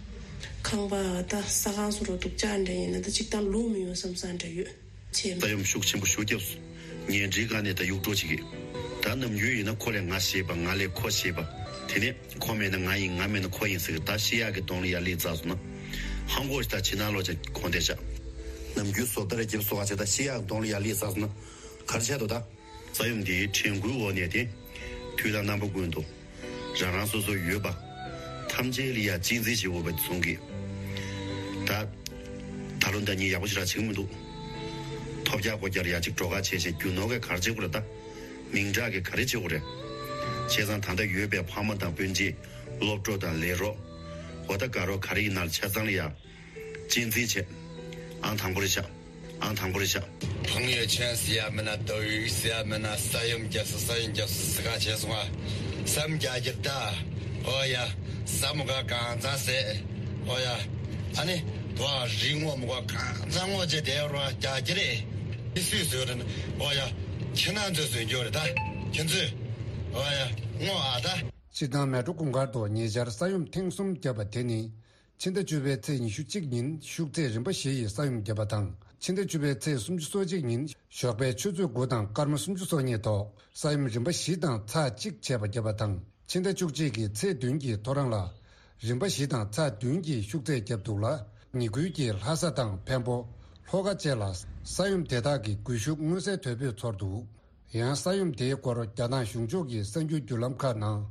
ཁང་པ་ད་ས་ཁང་སུ་རུ་འདུག་ཅག་འདྲ་ཡིན་ན་ད་ཅིག་ད་ལུག་མི་ཡོང་བསམ་ས་འདྲ་ཡོད་ཆེ། ས་ཡོམ་ཤུགས་ཆེན་པོ་ཞུ་བརྒྱབ་སོང་། ཉལ་ཁྲིའི་སྒང་ནས་ད་གཡུག་འགྲོ་བྱེད་ཀྱི། ད་ནམ་རྒྱུན་ཡིན་ན་ཁོ་ལས་ང་ཞེད་པ་ང་ལས་ཁོ་ཞེད་པ། དེ་ནས་ཁོ་མེད་ན་ང་ཡིན་ང་མེད་ན་ཁོ་ཡིན་ཟེར་གི། ད་ཤི་ཡག་གི་གདོང་ལ་ཡར་སླེབས་ཚར་སོང་ན། ཧང་གོ་ཞིག་ད་ཕྱི་ནང་ལོག་ཅག་གོང་དེ་ཆགས། ནམ་རྒྱུན་བཟོ་ལྟ་ར་རྒྱབ་བཟོ་ག་བྱས་ད་ཤི་ཡག་གི་གདོང་ལ་ཡར་སླེབས་ཚར་སོང་ན། ག་རེ་བྱས་འདུག་ད། ས་ཡོམ་འདིའི་དྲན་སྐུལ་འོག་ནས་དེ། དུས་དང་རྣམ་པ་ཀུན་ཏུ། རང་རང་སོ་སོ་ཡོད་པ། ཐམས་ཅད་ལ་ཡ་གཅེས་འཛིན་བྱེད་དགོས་པ་གསུང་གི། ད། ད་ལོ་ཟླ་ཉིན་ཡག་པོ་ཞེ་དྲག་བྱེད་ཀྱི་མི་འདུག། ཐོབ་རྒྱག་སྒོ་རྒྱག་ཡ་གཅིག་འགྲོ་ཁ་བྱས་བྱས་རྒྱུ་ནོར་གས་ག་རེ་བྱེད་དགོས་རེད་ད། མིང་གྲགས་ཀྱི་ག་རེ་བྱེད་དགོས་རེད། བྱས་ཙང་ད་ལྟ་ཡོད་པའི་ཕ་མ་དང་སྤུན་མཆེད་སློབ་གྲོགས་དང་ལས་རོགས། འོ་ད་དགའ་རོགས་ག་རེ་ཡིན་ན་ཆ་ཚང་ལ་ཡ། གཅེས་འཛིན་བྱེད། ཨང་དང་པོ་རེད་ཤག། ཨང་དང་པོ་རེད་ཤག། 朋友圈是呀མིན་ན་抖音是呀མིན་ན་ས་ཡོམ་རྒྱབ་སོང་ས་ཡོམ་རྒྱབ་སོང་ཟེར་ག་བྱས་སོང་ང་། བསམ་རྒྱ་རྒྱབ་ད། ཨོ་ཡ། ས་མོ་ག་གང་ཚང་ཟེར། ཨོ་ཡ། ཨ་ནི། དུ་ཨ་རི་སྔོ་མོ་ག་གང་ཚང་སྔོ་བྱས་དེ་རུ་རྒྱ་རྒྱ་རེད། ཨི་སུས་བཟོས་རེད། ཨོ་ཡ། ཁྱེད་རང་ཚོས་བཟོས་རྒྱུ་རེད་ད། ཁྱེད་ཚོས། ཨོ་ཡ། སྔོ་ཨ་ད། སྤྱིར་བཏང་མལ་གྲོ་གུང་དཀར་དུ་ཉེ་ཆར་ས་ཡོམ་ཐེངས་གསུམ་བརྒྱབ་པ་དེ་ནི། ཕྱི་ཟླ་བཅུ་པའི་ཚེས་ཉི་ཤུ་གཅིག་ཉིན་ཤུགས་ཚད་རིམ་པ་བཞི་ཡི་ས་ཡོམ་བརྒྱབ་པ་དང་། ཕྱི་ཟླ་བཅུ་པའི་ཚེས་སུམ་ཅུ་སོ་གཅིག་ཉིན་ཞོགས་པའི་ཆུ་ཚོད་དགུ་དང་སྐར་མ་སུམ་ཅུ་སོ་གཉིས་ཐོག་ས་ཡོམ་རིམ་པ་བཞི་དང་ཚེག་གཅིག་བྱས་པ་བརྒྱབ་པ་དང་། ཕྱི་ཟླ་བཅུ་གཅིག་གི་ཚེས་བདུན་གྱི་ཐོ་རངས་ལ། རིམ་པ་བཞི་དང་ཚེག་བདུན་གྱི་ཤུགས་ཚད་བརྒྱབ་འདུག་ལ། ཉེ་ཁུལ་གྱི་ལྷ་ས་དང་འཕན་པོ། ལྷོ་ཁ་བཅས་ལ་ས་ཡོམ་དེ་དག་གི་སྒུལ་ཤུགས་མངོན་གསལ་དོད་པོས་ཚོར་འདུག། ཡང་ས་ཡོམ་དེའི་སྐོར་རྒྱ་ནག་གཞུང་ཕྱོགས་ཀྱི་གསར་འགྱུར་བརྒྱུད་ལམ་ཁག་ནང་།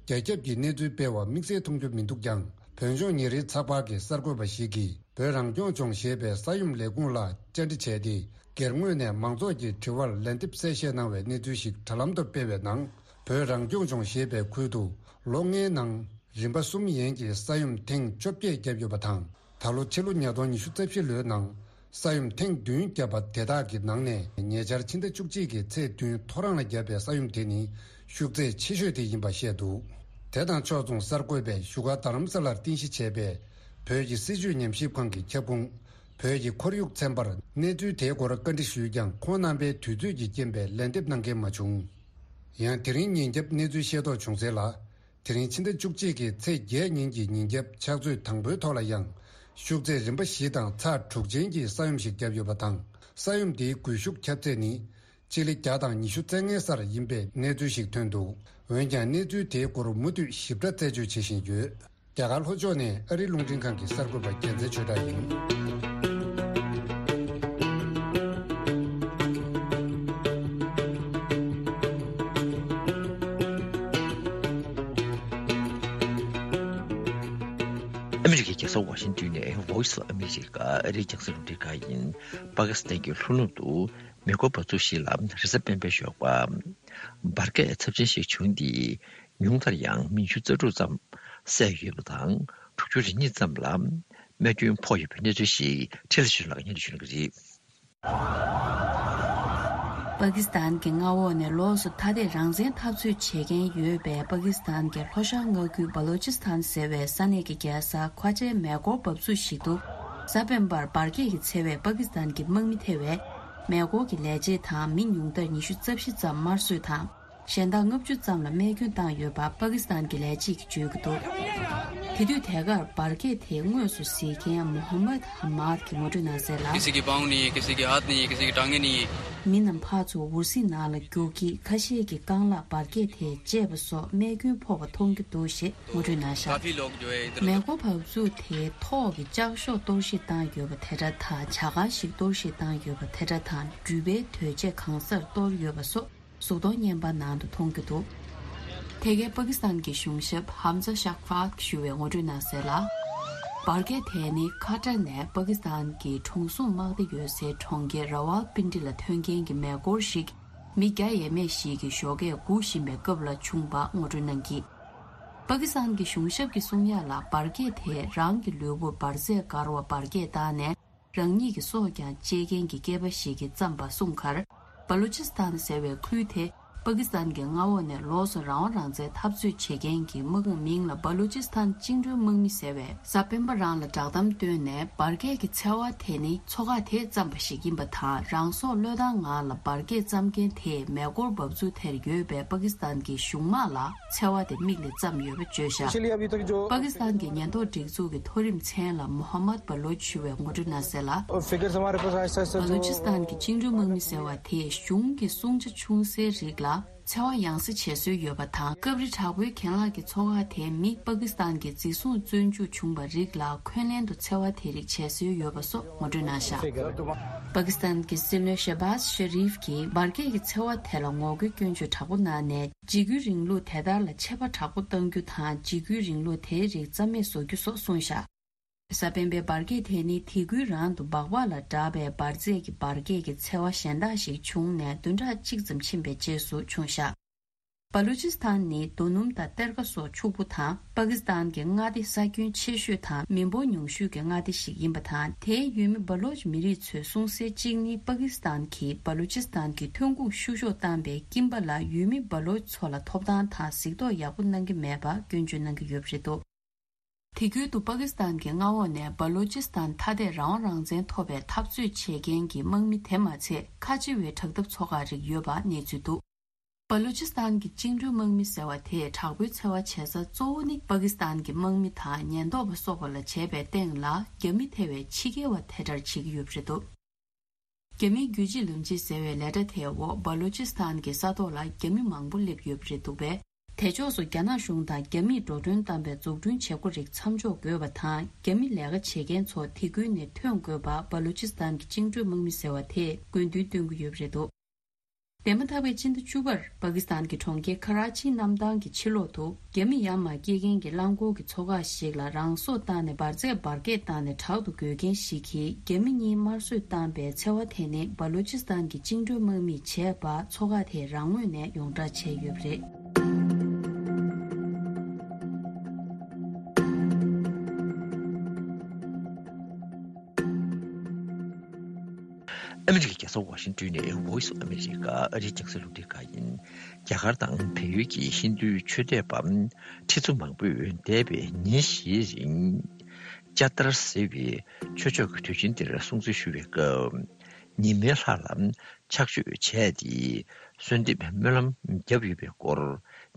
རྒྱ་ཁྱབ་ཀྱི་གནས་ཚུལ་སྤེལ་བ་དམིགས་བསལ་མཐོང་རྒྱུ་མི་འདུག་ཀྱང་། བོད་ལྗོངས་ཉེ་རིང་ཚགས་པར་གྱི་གསར་འགོད་པ་ཞིག་གིས་བོད་རང་སྐྱོང་ལྗོངས་ཞེས་པའི་ས་ཡོམ་ལས་ཁུངས་ལ་བཅར་འདྲི་བྱས་ཏེ། སྒེར་ངོས་ནས་མང་ཚོགས་ཀྱི་དྲི་བར་ལན་འདེབས་གསལ་བཤད་གནང་བའི་གནས་ཚུལ་ཞིག་དྲ་ལམ་དུ་སྤེལ་བའི་ནང་། བོད་རང་སྐྱོང་ལྗོངས་ཞེས་པའི་ཁུལ་དུ་ལོ་ལྔའི་ནང་རིམ་པ་གསུམ་ཡན་གྱི་ས་ཡོམ་ཐེངས་བཅོ་བརྒྱད་བརྒྱབ་ཡོད་པ་དང་། ད་ལོ་ཕྱི་ལོ་ཉིས་སྟོང་ཉི་ཤུ་རྩ་བཞི་ལོའི་ནང་ས་ཡོམ་ཐེངས་བདུན་བརྒྱབ་པ་དེ་དག་གི་ནང་ནས། ཉེ་ཆར་ཕྱི་ཟླ་བཅུ་གཅིག་གི་ཚེས་བདུན་ཐོ་རངས་ལ་བརྒྱབ་པའི་ས་ཡོམ་དེ་ནི་ཤུགས་ཚད་ཆེ་ཤོས་དེ་ཡིན་པ་བཤད་འདུག། དེ་དང་ཕྱོགས་མཚུངས་གསར་འགོད་པས་བཞུགས་སྒར་རྡ་རམ་ས་ལར་རྟེན་གཞི་བྱས་པའི་བོད་ཀྱི་སྲིད་བྱུས་ཉམས་ཞིབ་ཁང་གི་ཁྱབ་ཁོངས་བོད་ཀྱི་ཁོར་ཡུག་ཚན་པར་གནས་ཚུལ་དེའི་སྐོར་བཀའ་འདྲི་ཞུས་ཀྱང་། ཁོང་རྣམ་པས་དུས་ཚོད་ཀྱི་རྐྱེན་པས་ལན་འདེབས་གནང་མཁན་མ་བྱུང་། ཡང་དེ་རིང་ཉིན་རྒྱབ་གནས་ཚུལ་ཤེས་རྟོགས་བྱུང་གསལ་ལ། དེ་རིང་ཕྱི་ཟླ་བཅུ་གཅིག་གི་ཚེས་བརྒྱད་ཉིན་གྱི་ཉིན་རྒྱབ་ཕྱག་ཚོད་དང་པོའི་ཐོག་ལ་ཡང་ཤུགས་ཚད་རིམ་པ་བཞི་དང་ཚེག་དྲུག་ཅན་གྱི་ས་ཡོམ་ཞིག་བརྒྱབ་ཡོད་པ་དང་། ས་ཡོམ་དེའི་སྒུལ་ཤུགས་ཁྱབ་ཚད་ནི་སྤྱི་ལེ་བརྒྱ་དང་ཉི་ཤུ་རྩ་ལྔའི་སར་ཡིན་པའི་གནས་ཚུལ་ཞིག་ཐོན་འདུག། འོན་ཀྱང་གནས་ཚུལ་དེའི་སྐོར་མུ་མཐུད་ཞིབ་ཕྲ་རྩད་གཅོད་བྱེད་བཞིན་ཡོད། རྒྱ་གར་ལྷོ་ཕྱོགས་ནས་ཨ་རིའི་རླུང་འཕྲིན་ཁང་གི་གསར་འགོད་པ་རྒྱལ་མཚན་ཆོས་གྲགས་ཡིན། ཨ་མི་རི་ཀའི་རྒྱལ་ས་ཝ་ཤིང་ཏོན་ནས་Voice of America ཨ་རིའི་རྒྱང་སྲིང་རླུང་འཕྲིན་ཁང་ཡིན། པ་ཀི་སི་ཐན་གྱི་ལྷོ་ནུབ་ཏུ་མེ་འཁོར་འབབ་ཚུགས་ཤིག་ལ་རེས་གཟའ་སྤེན་པའི་ཞོགས་པ་འབར་གས་ཚབས་ཆེན་ཞིག་བྱུང་སྟེ། ཉུང་མཐར་ཡང་མི་ཉི་ཤུ་རྩ་དྲུག་ཙམ་བསད་ཡོད་པ་དང་། དྲུག་ཅུ་རེ་གཉིས་ཙམ་ལ་རྨས་སྐྱོན་ཕོག་ཡོད་པའི་གནས་ཚུལ་ཞིག་ཁྲི་ལ་ཞུ་ལགས་སྙན་ཞུ་གནང་གི་རེད། པ་ཀི་སི་ཐན་གྱི་མངའ་འོག་ནས་ལོགས་སུ་ཐ་དད་རང་བཙན་འཐབ་རྩོད་བྱེད་མཁན་ཡོད་པའི་པ་ཀི་སི་ཐན་གྱི་ལྷོ་ཤར་མངའ་ཁུལ་བ་ལོ་ཅི་སི་ཐན་ཟེར་བའི་ས་གནས་ཀྱི་རྒྱལ་ས་ཁ་ཆེའི་མེ་འཁོར་འབབ་ཚུགས་ཤིག་ཏུ། གཟའ་སྤེན་པར་འབར་གས་ཀྱིས་འཚེ་བའི་པ་ཀི་སི་ཐན་གྱི་དམག་མི་ཐེ་བའི་མེ་འཁོར་གྱི་ལས་བྱེད་དང་མི་ཉུང་མཐར་ཉི་ཤུ་རྩ་བཞི་ཙམ་དམར་གསོད་དང་། གཞན་དག་ལྔ་བཅུ་ཙམ་ལ་རྨས་སྐྱོན་བཏང་ཡོད་པ་པ་ཀི་སི་ཐན་གྱི་ལས་བྱེད་ཀྱིས་བརྗོད་ཀྱི་འདུག། དེ་དུས་དེ་གར་འབར་གས་དེ་དངོས་སུ་གཟིགས་མཁན་མོ་ཧམ་མད་ཧ་མད་ཀྱིས་ངོ་སྤྲོད་གནང་གསལ་ལ། किसी की पाँव नहीं है, किसी की हाथ नहीं है, किसी की टांगें नहीं है। མི་རྣམས་ཕར་ཚུར་འུར་ཟིང་ནང་ལ་རྒྱུག་གིས་ཁ་ཤས་ཀྱིས་རྐང་ལག་འབར་གས་དེས་བཅད་པ་སོགས་རྨས་སྐྱོན་ཕོག་པ་མཐོང་རྒྱུ་འདུག་ཞེས་ངོ་སྤྲོད་གནང་བཞག། काफी लोग जो है इधर མེ་འཁོར་འབབ་ཚུགས་དེའི་ཐོག་གི་ལྕགས་ཤོག་གཏོར་བཤིག་བཏང་ཡོད་པ་དེ་འདྲ་དང་། བྱ་དཀར་ཞིག་གཏོར་བཤིག་བཏང་ཡོད་པ་དེ་འདྲ་དང་། འགྲུལ་པའི་དོས་ཆས་གང་སར་གཏོར་ཡོད་པ་སོགས་གཟུགས་མཐོང་བརྙན་པར་ནང་དུ་མཐོང་རྒྱུ་འདུག། དེ་གའི་པ་ཀི་སི་ཐན་གྱི་གཞུང་ཞབས་ཧམ་ཛ་ཤག་ཕག་ཞུ་བས་ངོ་སྤྲོད་གནང་གསལ་ལ། འབར་གས་དེ་ནི་ཁ་ཏྲ་ནས་པ་ཀི་སི་ཐན་གྱི་གྲོང་སྲུང་དམག་སྡེ་ཡོད་སའི་གྲོང་ཁྱེར་ར་ཝལ་པིན་ཏི་ལ་ཐོན་མཁན་གྱི་མེ་འཁོར་ཞིག་མི་བརྒྱ་ཡས་མས་ཤིག་གིས་ཞོགས་ཀས་སྒུག་བཞིན་པའི་སྐབས་ལ་བྱུང་བ་ངོ་སྤྲོད་གནང་གིས། པ་ཀི་སི་ཐན་གྱི་གཞུང་ཞབས་ཀྱིས་གསུང་ཡག་ལ། འབར་གས་དེས་རང་གི་ལུས་པོར་འབར་རྫས་བཀལ་བ་འབར་གས་བཏང་ནས། རང་ཉིད་ཀྱི་སྲོག་ཀྱང་བཅད་མཁན་གྱི་སྐྱེས་པ་ཞིག་གིས་བརྩམས་པ་གསུངས་ཁར། བ་ལུ་ཅི་སི་ཐན་ཟེར་བའི་ཁུལ་དེ་པ་ཀི་སི་ཐན་གྱི་མངའ་འོག་ནས་ལོགས་སུ་རང་དབང་རང་བཙན་འཐབ་རྩོད་བྱེད་མཁན་གྱི་དམག་དཔུང་མིང་ལ་བ་ལུ་ཅི་སི་ཐན་བཅིངས་འགྲོལ་དམག་མི་ཟེར་བས་གཟའ་སྤེན་པ་རང་ལ་བསྒྲགས་གཏམ་བཏོན་ནས། འབར་གས་ཀྱི་འཚེ་བ་དེ་ནི་ཚོ་ཁག་དེས་བརྩམས་པ་ཞིག་ཡིན་པ་དང་། རང་སྲོག་བློས་བཏང་ངང་ལ་འབར་གས་བརྩམས་མཁན་དེས་མེ་འཁོར་འབབ་ཚུགས་དེར་ཡོད་པའི་པ་ཀི་སི་ཐན་གྱི་གཞུང་དམག་ལ་འཚེ་བ་དེ་མིག་ནས་བརྩམས་ཡོད་པ་བརྗོད་བཞག། པ་ཀི་སི་ཐན་གྱི་ཉེན་རྟོག་སྒྲིག་འཛུགས་ཀྱི་མཐོ་རིམ་མཚན་ལ་མོ་ཧ་མད་བ་ལོ་ཆུ་བས་ངོ་སྤྲོད་གནང་གསལ་ལ། फिगर्स हमारे पास ऐसा ऐसा བ་ལུ་ཅི་སི་ཐན་གྱི་བཅིངས་འགྲོལ་དམག་མི་ཟེར་བ་དེས་གཞུང་གི་སྲུང་བྱ་ཆུང་སའི་རིགས་ལ་འཚེ་བ་ཡང་སེ་བྱེད་སྲོལ་ཡོད་པ་དང་། སྐབས་རེ་དྲག་པོའི་གྱེན་ལངས་ཀྱི་ཚོ་ཁག་དེས་མི་པ་ཀི་སི་ཐན་གྱི་འཛིན་བཟུང་བཙོན་འཇུག་བྱུང་བ་རིགས་ལ་འཁོན་ལན་དུ་འཚེ་བ་དེ་རིགས་བྱེད་སྲོལ་ཡོད་པ་སོགས་ངོ་སྤྲོད་གནང་བཞག། པ་ཀི་སི་ཐན་གྱི་སྲིད་བློན་ཤེ་བཱ་ཟ་ཤེ་རིབ་ཀྱིས་འབར་གས་ཀྱི་འཚེ་བ་དེ་ལ་ངོ་རྒོལ་སྐྱོན་བརྗོད་དྲག་པོ་གནང་ནས། འཇིགས་སྐུལ་རིང་ལུགས་དེ་དག་ལ་ཆད་པ་དྲག་པོ་གཏང་རྒྱུ་དང་། འཇིགས་སྐུལ་རིང་ལུགས་དེའི་རིགས་རྩ་མེད་བཟོ་རྒྱུ་སོགས་གསུངས་བཞག། གཟའ་སྤེན་པའི་འབར་གས་དེ་ནི་དེ་ཁུལ་རང་དུ་སྦག་སྦག་ལ་གྲགས་པའི་འབར་རྫས་ཀྱི་འབར་གས་ཀྱི་འཚེ་བ་གཞན་དག་ཞིག་བྱུང་ནས་བདུན་ཕྲག་གཅིག་ཙམ་ཕྱིན་པའི་རྗེས་སུ་བྱུང་བཞག། བ་ལུ་ཅི་སི་ཐན་ནི་རྡོ་སྣུམ་དང་གཏེར་ཁ་སོགས་ཕྱུག་པོ་དང་། པ་ཀི་སི་ཐན་གྱི་མངའ་སྡེ་ས་ཁྱོན་ཆེ་ཤོས་དང་མི་འབོར་ཉུང་ཤོས་ཀྱི་མངའ་སྡེ་ཞིག་ཡིན་པ་དང་། དེའི་ཡུལ་མི་བ་ལོ་ཅི་མི་རིགས་ཚོས་གསུང་གསལ་གཅིག་ནི། པ་ཀི་སི་ཐན་གྱིས་བ་ལུ་ཅི་སི་ཐན་གྱི་ཐོན་ཁུངས་བཤུ་གཞོག་བཏང་པའི་སྐྱིན་པ་ལ་ཡུལ་མི་བ་ལོ་ཅི་ཚོ་ལ་ཐོབ་ཐང་དང་གཟིགས་རྟོག་ཡག་པོ་གནང་གི་མེད་པ་སྐྱོན་བརྗོད་གནང་གི་ཡོད་པ་རེད་འདུག། དེ་ཁུལ་དུ་པ་ཀི་སི་ཐན་གྱི་མངའ་འོག་ནས་བ་ལུ་ཅི་སི་ཐན་ཐ་དད་རང་དབང་རང་བཙན་ཐོབ་པའི་འཐབ་རྩོད་བྱེད་མཁན་གྱི་དམག་མི་དེ་མ་ཚད། ཁ་ཆེ་བའི་དྲག་འཐབ་ཚོ་ཁག་རིགས་ཡོད་པ་གནས་ཚུལ་འདུག། བ་ལུ་ཅི་སི་ཐན་གྱི་བཅིངས་འགྲོལ་དམག་མི་ཟེར་བ་དེས་དྲག་པོའི་འཚེ་བ་བྱེད་ས་གཙོ་བོ་ནི་པ་ཀི་སི་ཐན་གྱི་དམག་མི་དང་ཉེན་རྟོག་པ་སོགས་པ་ལ་བྱས་པའི་སྟེང་ལ། རྒྱ་མི་ཐེ་བའི་ཕྱི་རྒྱལ་བ་དེ་འདྲར་བྱེད་ཀྱི་ཡོད་པ་རེད་འདུག་རྒྱ་མིའི་རྒྱུད་གཅིག་ལམ་གཅིག་ཟེར་བའི་ལས་གྲྭ་དེའི་འོག་བ་ལུ་ཅི་སི་ཐན་གྱི་ས་ཐོག་ལ་རྒྱ་མི་མང་པོ་སླེབས་ཡོད་པ་རེད་འདུག་པས། དེ་ཕྱོགས་སུ་རྒྱ་ནག་གཞུང་དང་རྒྱ་མིས་འགྲོ་གྲོན་བཏང་བའི་འཛུགས་སྐྲུན་བྱེད་སྒོ་རིགས་མཚམས་འཇོག་དགོས་པ་དང་། རྒྱ་མི་ལས་ཀ་བྱེད་མཁན་ཚོ་དེ་ཁུལ་ནས་ཐོན་དགོས་པ་བ་ལུ་ཅི་སི་ཐན་གྱི་བཅིངས་འགྲོལ་དམག་མི་ཟེར་བ་དེས་དགོས་འདུན་བཏོན་གྱི་ཡོད་པ་རེད་འདུག་འདས་མ་ཐག་པའི་སྤྱི་ཟླ་བཅུ་པར་པ་ཀི་སི་ཐན་གྱི་གྲོང་ཁྱེར་ཁ་ར་ཆི་གནམ་ཐང་གི་ཕྱི་ལོགས་དུ། རྒྱ་མི་ཡ་མ་སྐྱེལ་མཁན་གྱི་རླངས་འཁོར་གྱི་མཚོ་ཁག་ཞིག་ལ་རང་སྲོག་བཏང་ནས་འབར་རྫས་འབར་གས་བཏང་ནས་དྲག་ཏུ་རྒོལ་མཁན་ཞིག་གིས་རྒྱ་མི་གཉིས་དམར་གསོད་བཏང་པའི་འཚེ་བ་དེ་ནི་བ་ལུ་ཅི་སི་ཐན་གྱི་བཅིངས་འགྲོལ་དམག་མིས་བྱས་པ་མཚོ་ཁག་དེས་རང་ངོས་ནས་ཡོངས་བསྒྲགས་བྱས་ཡོད་པ་རེད། ཨ་མི་རི་ཀའི་རྒྱལ་ས་ཝ་ཤིང་ཏོན་ནས་Voice of America ཨ་རིའི་རྒྱང་སྲིང་རླུང་འཕྲིན་ཁང་ཡིན། རྒྱ་གར་དང་བལ་ཡུལ་གྱི་ཧིན་རྡུའི་ཆོས་དད་པ་ཁྲི་ཚོ་མང་པོས་འདས་པའི་ཉིན་བཞིའི་རིང་ཅ་ཏར་ཟེར་བའི་ཆོས་ཕྱོགས་ཀྱི་དུས་ཆེན་འདིར་སྲུང་བརྩི་ཞུ་བའི་སྐབས། ཉི་མའི་ལྷ་ལ་ཕྱག་མཆོད་བྱས་ཏེ་གསོལ་འདེབས་སྨོན་ལམ་བརྒྱབ་ཡོད་པའི་སྐོར།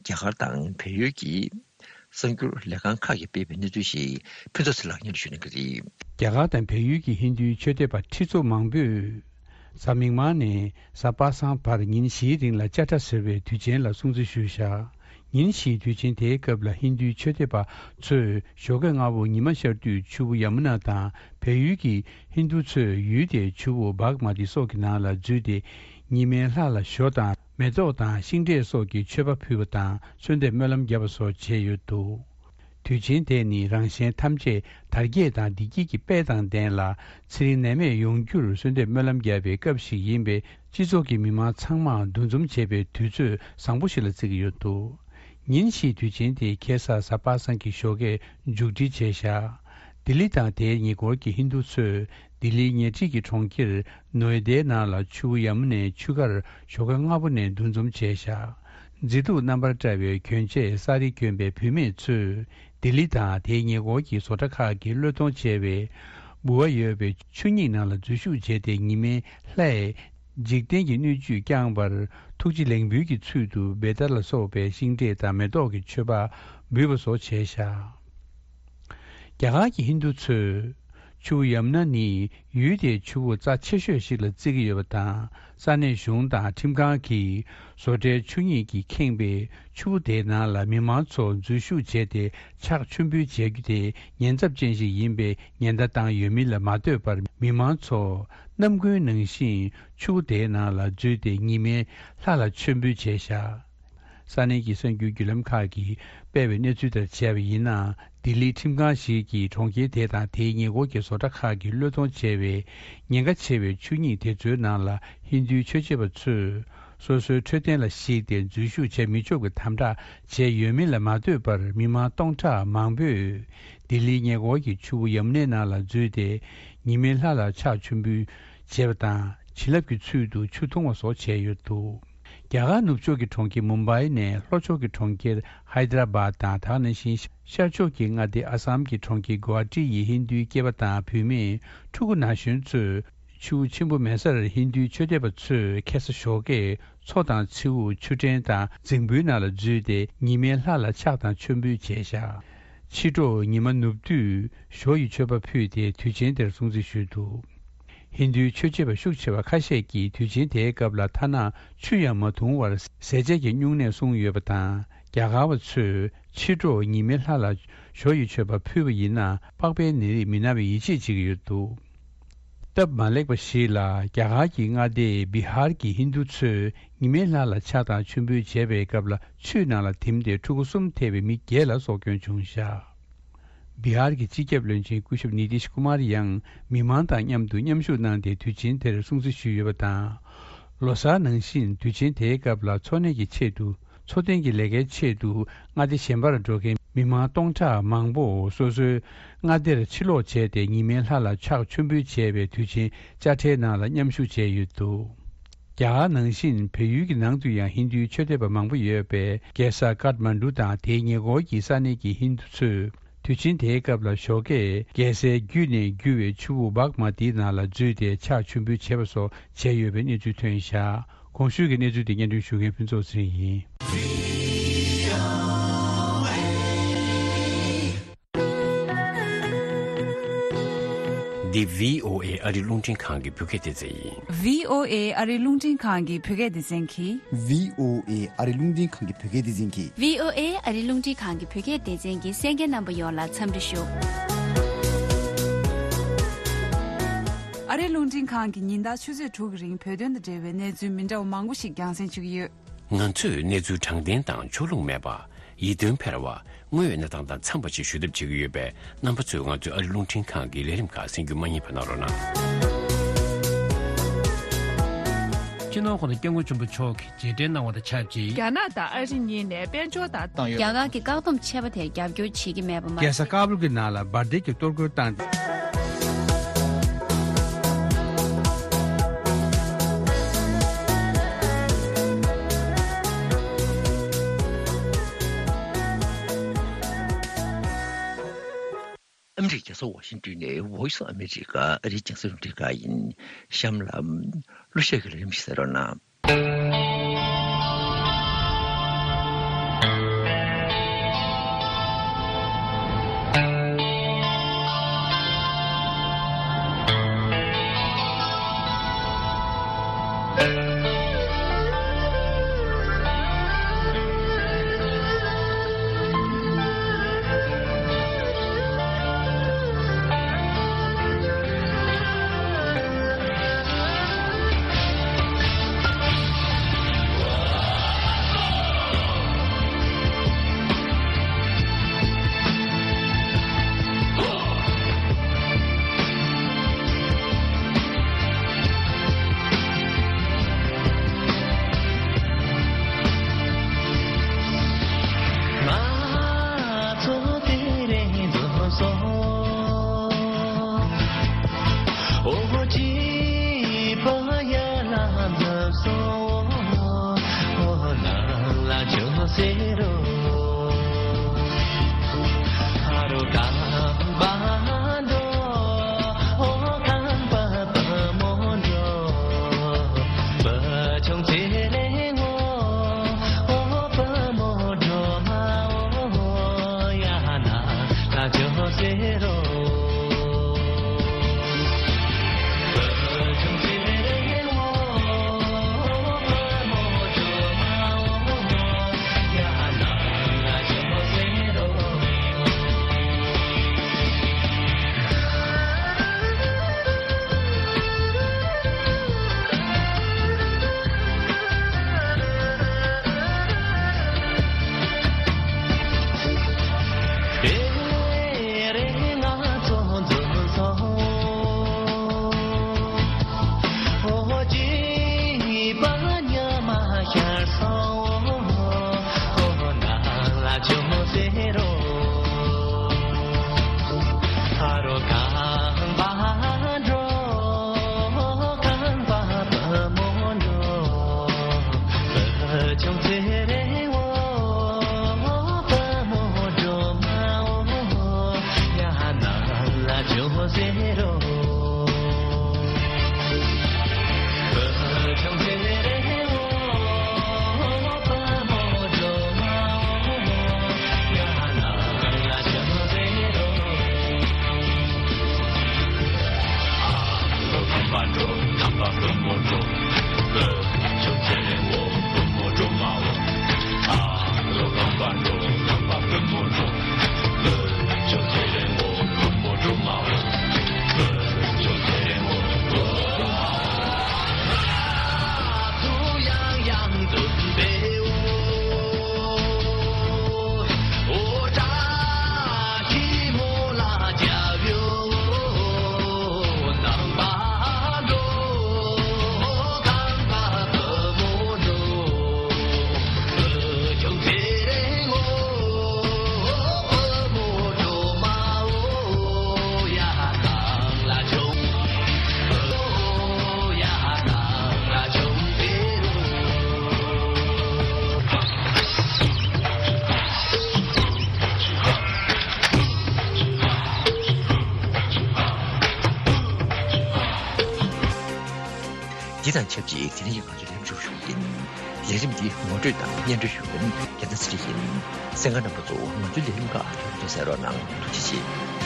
རྒྱ་གར་དང་བལ་ཡུལ་གྱི་གསར་འགྱུར་ལས་ཁང་ཁག་གིས་སྤེལ་བའི་གནས་ཚུལ་ཞིག་ཕུན་ཚོགས་ཚེ་ལགས་སྙན་སྒྲོན་ཞུ་གནང་གི་རེད། རྒྱ་གར་དང་བལ་ཡུལ་གྱི་ཧིན་རྡུའི་ཆོས་དད་པ་ཁྲི་ཚོ་མང་པོས་གཟའ་མིག་དམར་ནས་གཟའ་པ་སངས་བར་ཉིན་བཞིའི་རིང་ལ་ཅ་ཏྲ་ཟེར་བའི་དུས་ཆེན་ལ་སྲུང་བརྩི་ཞུས་བཞག་ཉིན་བཞིའི་དུས་ཆེན་དེའི་སྐབས་ལ་ཧིན་རྡུའི་ཆོས་དད་པ་ཚོས་ཞོགས་ཀས་སྔ་པོ་ཉི་མ་ཤར་དུས་ཆུ་བོ་ཡ་མུ་ན་དང་། བལ་ཡུལ་གྱི་ཧིན་རྡུ་ཚོས་ཡུལ་དེའི་ཆུ་བོ་བྷག་མ་ཏི་སོགས་ཀྱི་ནང་ལ་འཛུལ་ཏེ། ཉི་མའི་ལྷ་ལ་ཞོ་དང་མེ་ཏོག་དང་ཤིང་འབྲས་སོགས་ཀྱི་མཆོད་པ་ཕུལ་བ་དང་གསོལ་འདེབས་སྨོན་ལམ་བརྒྱབ་པ་སོགས་བྱས་ཡོད་འདུག་དུས་ཆེན་དེ་ནི་རང་གཞན་ཐམས་ཅད་དར་རྒྱས་དང་བདེ་སྐྱིད་ཀྱི་དཔལ་དང་ལྡན་ལ། ཚེ་རིང་ནད་མེད་ཡོང་རྒྱུར་གསོལ་འདེབས་སྨོན་ལམ་བརྒྱབ་པའི་སྐབས་ཤིག་ཡིན་པས། སྤྱི་ཚོགས་ཀྱི་མི་མང་ཚང་མ་འདུ་འཛོམས་བྱེད་པའི་དུས་ཚོད་བཟང་པོ་ཞིག་ལ་བརྩི་གི་ཡོད་འདུག་ཉིན་བཞིའི་དུས་ཆེན་དེ་ཁ་སང་གཟའ་པ་སངས་ཀྱི་ཞོགས་ཀས་མཇུག་སྒྲིལ་བྱས་བཞག་ལྡི་ལི་དང་དེའི་ཉེ་འཁོར་གྱི་ཧིན་རྡུ་ཚོས་ལྡི་ལིའི་ཉེ་འཁྲིས་ཀྱི་གྲོང་ཁྱེར་ནོ་ཨེ་ཏའི་ནང་ལ་ཆུ་བོ་ཡ་མུ་ནའི་ཆུ་ཁར་ཞོགས་ཀ་སྔ་པོ་ནས་འདུ་འཛོམས་བྱས་བཞག་མཛེས་སྡུག་རྣམ་པར་བཀྲ་བའི་གྱོན་ཆས་གསར་རིགས་གྱོན་པའི་བུད་མེད་ཚོས་ལྡི་ལི་དང་དེའི་ཉེ་འཁོར་གྱི་བཟོ་གྲྭ་ཁག་གི་བློས་གཏོང་བྱས་པའི་འབུལ་བ་ཡོད་པའི་ཆུ་སྙིང་ནང་ལ་འཛུལ་ཞུགས་བྱས་ཏེ། ཉི་མའི་ལྷས་འཇིག་རྟེན་གྱི་སྣོད་བཅུད་བསྐྱངས་པར་ཐུགས་རྗེ་ལེགས་འབུལ་གྱི་ཚུལ་དུ་བེ་ཏར་ལ་སོགས་པའི་ཤིང་འབྲས་དང་མེ་ཏོག་གི་མཆོད་པ་འབུལ་བ་སོགས་བྱས་བཞག་རྒྱ་གར་གྱི་ཧིན་རྡུ་ཚོས་ཆུ་བོ་ཡ་མུ་ན་ནི་ཡུལ་དེའི་ཆུ་བོ་རྩ་ཆེ་ཤོས་ཤིག་ལ་བརྩི་གི་ཡོད་པ་དང་། ས་གནས་གཞུང་དང་ཁྲིམས་ཁང་གིས་བཟོ་གྲྭའི་ཆུ་སྙིང་གིས་ཁེངས་པའི་ཆུ་བོ་དེའི་ནང་ལ་མི་མང་ཚོ་འཛུལ་ཞུགས་བྱས་ཏེ། ཕྱག་མཆོད་འབུལ་བྱ་རྒྱུ་དེ་ཉེན་ཚབས་ཅན་ཞིག་ཡིན་པའི་ཉེན་བརྡ་བཏང་ཡོད་མིན་ལ་མ་ལྟོས་པར། མི་མང་ཚོ་ནམ་རྒྱུན་ནང་བཞིན་ཆུ་བོ་དེའི་ནང་ལ་འཛུལ་ཏེ་ཉི་མའི་ལྷ་ལ་མཆོད་འབུལ་བྱས་བཞག་ས་གནས་ཀྱི་གསར་འགྱུར་བརྒྱུད་ལམ་ཁག་གིས་སྤེལ་བའི་གནས་ཚུལ་ལྟར་བྱས་པ་ཡིན་ན། ལྡི་ལིའི་ཁྲིམས་ཁང་ཞིག་གིས་གྲོང་ཁྱེར་དེ་དང་དེའི་ཉེ་འཁོར་གྱི་བཟོ་གྲྭ་ཁག་གི་བློས་གཏོང་བྱས་པའི་ཉེན་ཁ་ཆེ་བའི་ཆུ་སྙིང་དེ་ཚོའི་ནང་ལ་ཧིན་རྡུའི་ཆོས་བྱེད་པ་ཚོས་སོ་སོའི་འཕྲོད་བསྟེན་ལ་གཞིགས་ཏེ་འཛུལ་ཞུགས་བྱེད་མི་ཆོག་པའི་དམ་དྲག་བྱས་ཡོད་མིན་ལ་མ་ལྟོས་པར། མི་མང་སྟོང་ཕྲག་མང་པོས་ལྡི་ལིའི་ཉེ་འཁོར་གྱི་ཆུ་བོ་ཡ་མུ་ནའི་ནང་ལ་འཛུལ་ཏེ། ཉི་མའི་ལྷ་ལ་ཕྱག་མཆོད་འབུལ་བྱས་པ་དང་། བྱིན་རླབས་ཀྱི་ཚུལ་དུ་ཆུ་འཐུང་བ་སོགས་བྱས་ཡོད་འདུག་རྒྱ་གར་ནུབ་ཕྱོགས་ཀྱི་གྲོང་ཁྱེར་མུམ་བྷའི་ནས་ལྷོ་ཕྱོགས་ཀྱི་གྲོང་ཁྱེར་ཧའི་ད་ར་བཱད་དང་། དེ་ནང་བཞིན་ཤར་ཕྱོགས་ཀྱི་མངའ་སྡེ་ཨ་སམ་གྱི་གྲོང་ཁྱེར་གུ་ཝ་ཧ་ཏི་ཡི་ཧིན་རྡུའི་སྐྱེས་པ་དང་བུད་མེད་ཕྲུ་གུ་ན་གཞོན་ཚོས་ཆུ་བོ་ཆེན་པོ་མེ་སར་ཧིན་རྡུའི་ཆོས་དད་པ་ཚོས་ཁ་སང་ཞོགས་ཀས་མཚོ་དང་མཚེའུ། ཆུ་ཕྲན་དང་རྫིང་བུའི་ནང་ལ་འཛུལ་ཏེ་ཉི་མའི་ལྷ་ལ་ཕྱག་དང་མཆོད་འབུལ་བྱས་བཞག་ཕྱི་དྲོ་ཉི་མ་ནུབ་དུས་ཞོ་ཡི་མཆོད་པ་ཕུལ་ཏེ་དུས་ཆེན་དེར་སྲུང་བརྩི་ཞུས་འདུག་ཧིན་རྡུའི་ཆོས་བྱེད་པ་ཤུགས་ཆེ་བ་ཁ་ཤས་ཀྱིས་དུས་ཆེན་དེའི་སྐབས་ལ་ཐ་ན་ཆུ་ཡང་མ་འཐུང་བར་ཟས་བཅད་ཀྱི་སྨྱུང་གནས་བསྲུངས་ཡོད་པ་དང་། རྒྱ་གར་བ་ཚོས་ཕྱི་དྲོ་ཉི་མའི་ལྷ་ལ་ཞོ་ཡི་མཆོད་པ་ཕུལ་བ་ཡིན་ན་པགས་པའི་ནད་རིགས་མི་ན་བའི་ཡིད་ཆེས་བྱེད་ཀྱི་ཡོད་འདུག་སྟབས་མ་ལེགས་པ་ཞིག་ལ་རྒྱ་གར་གྱི་མངའ་སྡེ་བི་ཧར་གྱི་ཧིན་རྡུ་ཚོས་ཉི་མའི་ལྷ་ལ་ཕྱག་དང་མཆོད་འབུལ་བྱས་པའི་སྐབས་ལ་ཆུའི་ནང་ལ་དིམ་སྟེ་ཕྲུ་གུ་གསུམ་ཐེ་བའི་མི་བརྒྱད་ལ་སྲོག་སྐྱོན་བྱུང་བཞག་བི་ཧར་གྱི་སྤྱི་ཁྱབ་བློན་ཆེན་སྐུ་ཞབས་ནི་ཏིཤ་ཀུ་མར་ཡང་མི་མང་དང་མཉམ་དུ་མཉམ་ཞུགས་གནང་སྟེ་དུས་ཆེན་དེར་སྲུང་བརྩི་ཞུས་ཡོད་པ་དང་། ལོ་གསར་ནང་བཞིན་དུས་ཆེན་དེའི་སྐབས་ལ་འཚོ་གནས་ཀྱི་ཆེད་དུ། འཚོ་རྟེན་གྱི་ལས་ཀའི་ཆེད་དུ་མངའ་སྡེ་གཞན་པར་འགྲོ་མཁན་མི་མང་སྟོང་ཕྲག་མང་པོ་སོ་སོའི་མངའ་སྡེར་ཕྱིར་ལོག་བྱས་ཏེ་ཉི་མའི་ལྷ་ལ་ཕྱག་མཆོད་འབུལ་བྱས་པའི་དུས་ཆེན་དཔྱ་ཁྲལ་ནང་ལ་མཉམ་ཞུགས་བྱས་ཡོད་འདུག་རྒྱ་གར་ནང་བཞིན་བལ་ཡུལ་གྱི་ནང་དུ་ཡང་ཧིན་རྡུའི་ཆོས་དད་པ་མང་པོ་ཡོད་པས། རྒྱལ་ས་ཀཏ་མན་ཌུ་དང་དེའི་ཉེ་འཁོར་གྱི་ས་གནས་ཀྱི་ཧིན་རྡུ་ཚོས་ དུས་ཆེན་དེའི་སྐབས་ལ་ཞོགས་ཀས་རྒྱལ་སའི་བརྒྱུད་ནས་རྒྱུ་བའི་ཆུ་བོ་བྷག་མ་ཏིའི་ནང་ལ་འཛུལ་ཏེ་ཕྱག་མཆོད་འབུལ་བྱས་པ་སོགས་བྱས་ཡོད་པའི་གནས་ཚུལ་ཐོན་བཞག་གོང་ཞུས་ཀྱི་གནས་ཚུལ་དེ་སྙན་སྒྲོན་ཞུ་མཁན་ཕུན་ཚོགས་ཚེ་རིང་ཡིན། འདི་བྷི་ཨོ་ཨེ་ཨ་རི་རླུང་འཕྲིན་ཁང་གི་བོད་སྐད་སྡེ་ཚན་ཡིན། བྷི་ཨོ་ཨེ་ཨ་རི་རླུང་འཕྲིན་ཁང་གི་བོད་སྐད་སྡེ་ཚན་གྱིས། བྷི་ཨོ་ཨེ་ཨ་རི་རླུང་འཕྲིན་ཁང་གི་བོད་སྐད་སྡེ་ཚན་གྱིས། བྷི་ཨོ་ཨེ་ཨ་རི་རླུང་འཕྲིན་ཁང་གི་བོད་སྐད་སྡེ་ཚན་གྱིས་གསན་མཁན་རྣམ་པ་ཡོངས་ལ་འཚམས་འདྲི་ཞུ། ཨ་རི་རླུང་འཕྲིན་ཁང་གིས་ཉིན་ལྟར་ཆུ་ཚོད་དྲུག་གི་རིང་བོད་དོན་དང་འབྲེལ་བའི་གནས་ཚུལ་མི་འདྲ་བ་མང་པོ་ཞིག་རྒྱང་སྲིང་ཞུ་གི་ཡོད། ང་ཚོས་གནས་ཚུལ་དྲང་བདེན་དང་ཕྱོགས་ལྷུང་མེད་པ། ཡིད་རྟོན་འཕེར་བ། དངོས་ཡོད་གནས་སྟངས་དང་འཚམས་པ་ཞིག་ཞུ་ཐབས་བྱེད་ཀྱི་ཡོད་པས། རྣམ་པ་ཚོས་ང་ཚོའི་ཨ་རི་རླུང་འཕྲིན་ཁང་གི་ལས་རིམ་ཁག་གསན་རྒྱུ་མ་བསྙེལ་བ་གནང་རོགས་གནང་། སྤྱི་ནོར་༸གོང་ས་༸སྐྱབས་མགོན་ཆེན་པོ་མཆོག་གིས་མཇལ་འཕྲད་གནང་བ་དང་ཆབས་ཅིག་རྒྱ་ནག་དང་ཨ་རི་གཉིས་ནས་དཔལ་འབྱོར་དང་བཏང་ཡོད། རྒྱ་གར་གྱི་བཀག་སྡོམ་ཆད་པ་དེར་རྒྱབ་སྐྱོར་བྱེད་ཀྱི་མེད་པ་མ། རྒྱལ་ས་ཀ་བུལ་གྱི་ནང་ལ་འབར་མདེལ་གྱི་གཏོར་རྒོལ་བཏང་སྟེ། ཨ་མི་རི་ཀའི་རྒྱལ་ས་ཝ་ཤིང་ཏོན་ནས་Voice of America ཨ་རིའི་རྒྱང་སྲིང་རླུང་འཕྲིན་ཁང་ཡིན། གཤམ་ལ་གླུ་གཞས་ཀྱི་ལས་རིམ་ཞིག་གསན་རོགས་གནང་། འདི་དང་ཆབས་ཅིག་དེ་རིང་གི་ང་ཚོའི་ལས་རིམ་ཞུ་ཞུ་ཡིན། ལས་རིམ་འདི་ངོ་སྤྲོད་དང་སྙན་སྒྲོན་ཞུ་མཁན་རྒྱལ་མཚན་ཚེ་རིང་ཡིན། གསན་མཁན་རྣམ་པ་ཚོ་ང་ཚོའི་ལས་རིམ་ཁག་ཐུགས་ཚོད་གསན་རོགས་གནང་། ཐུགས་རྗེ་ཆེ།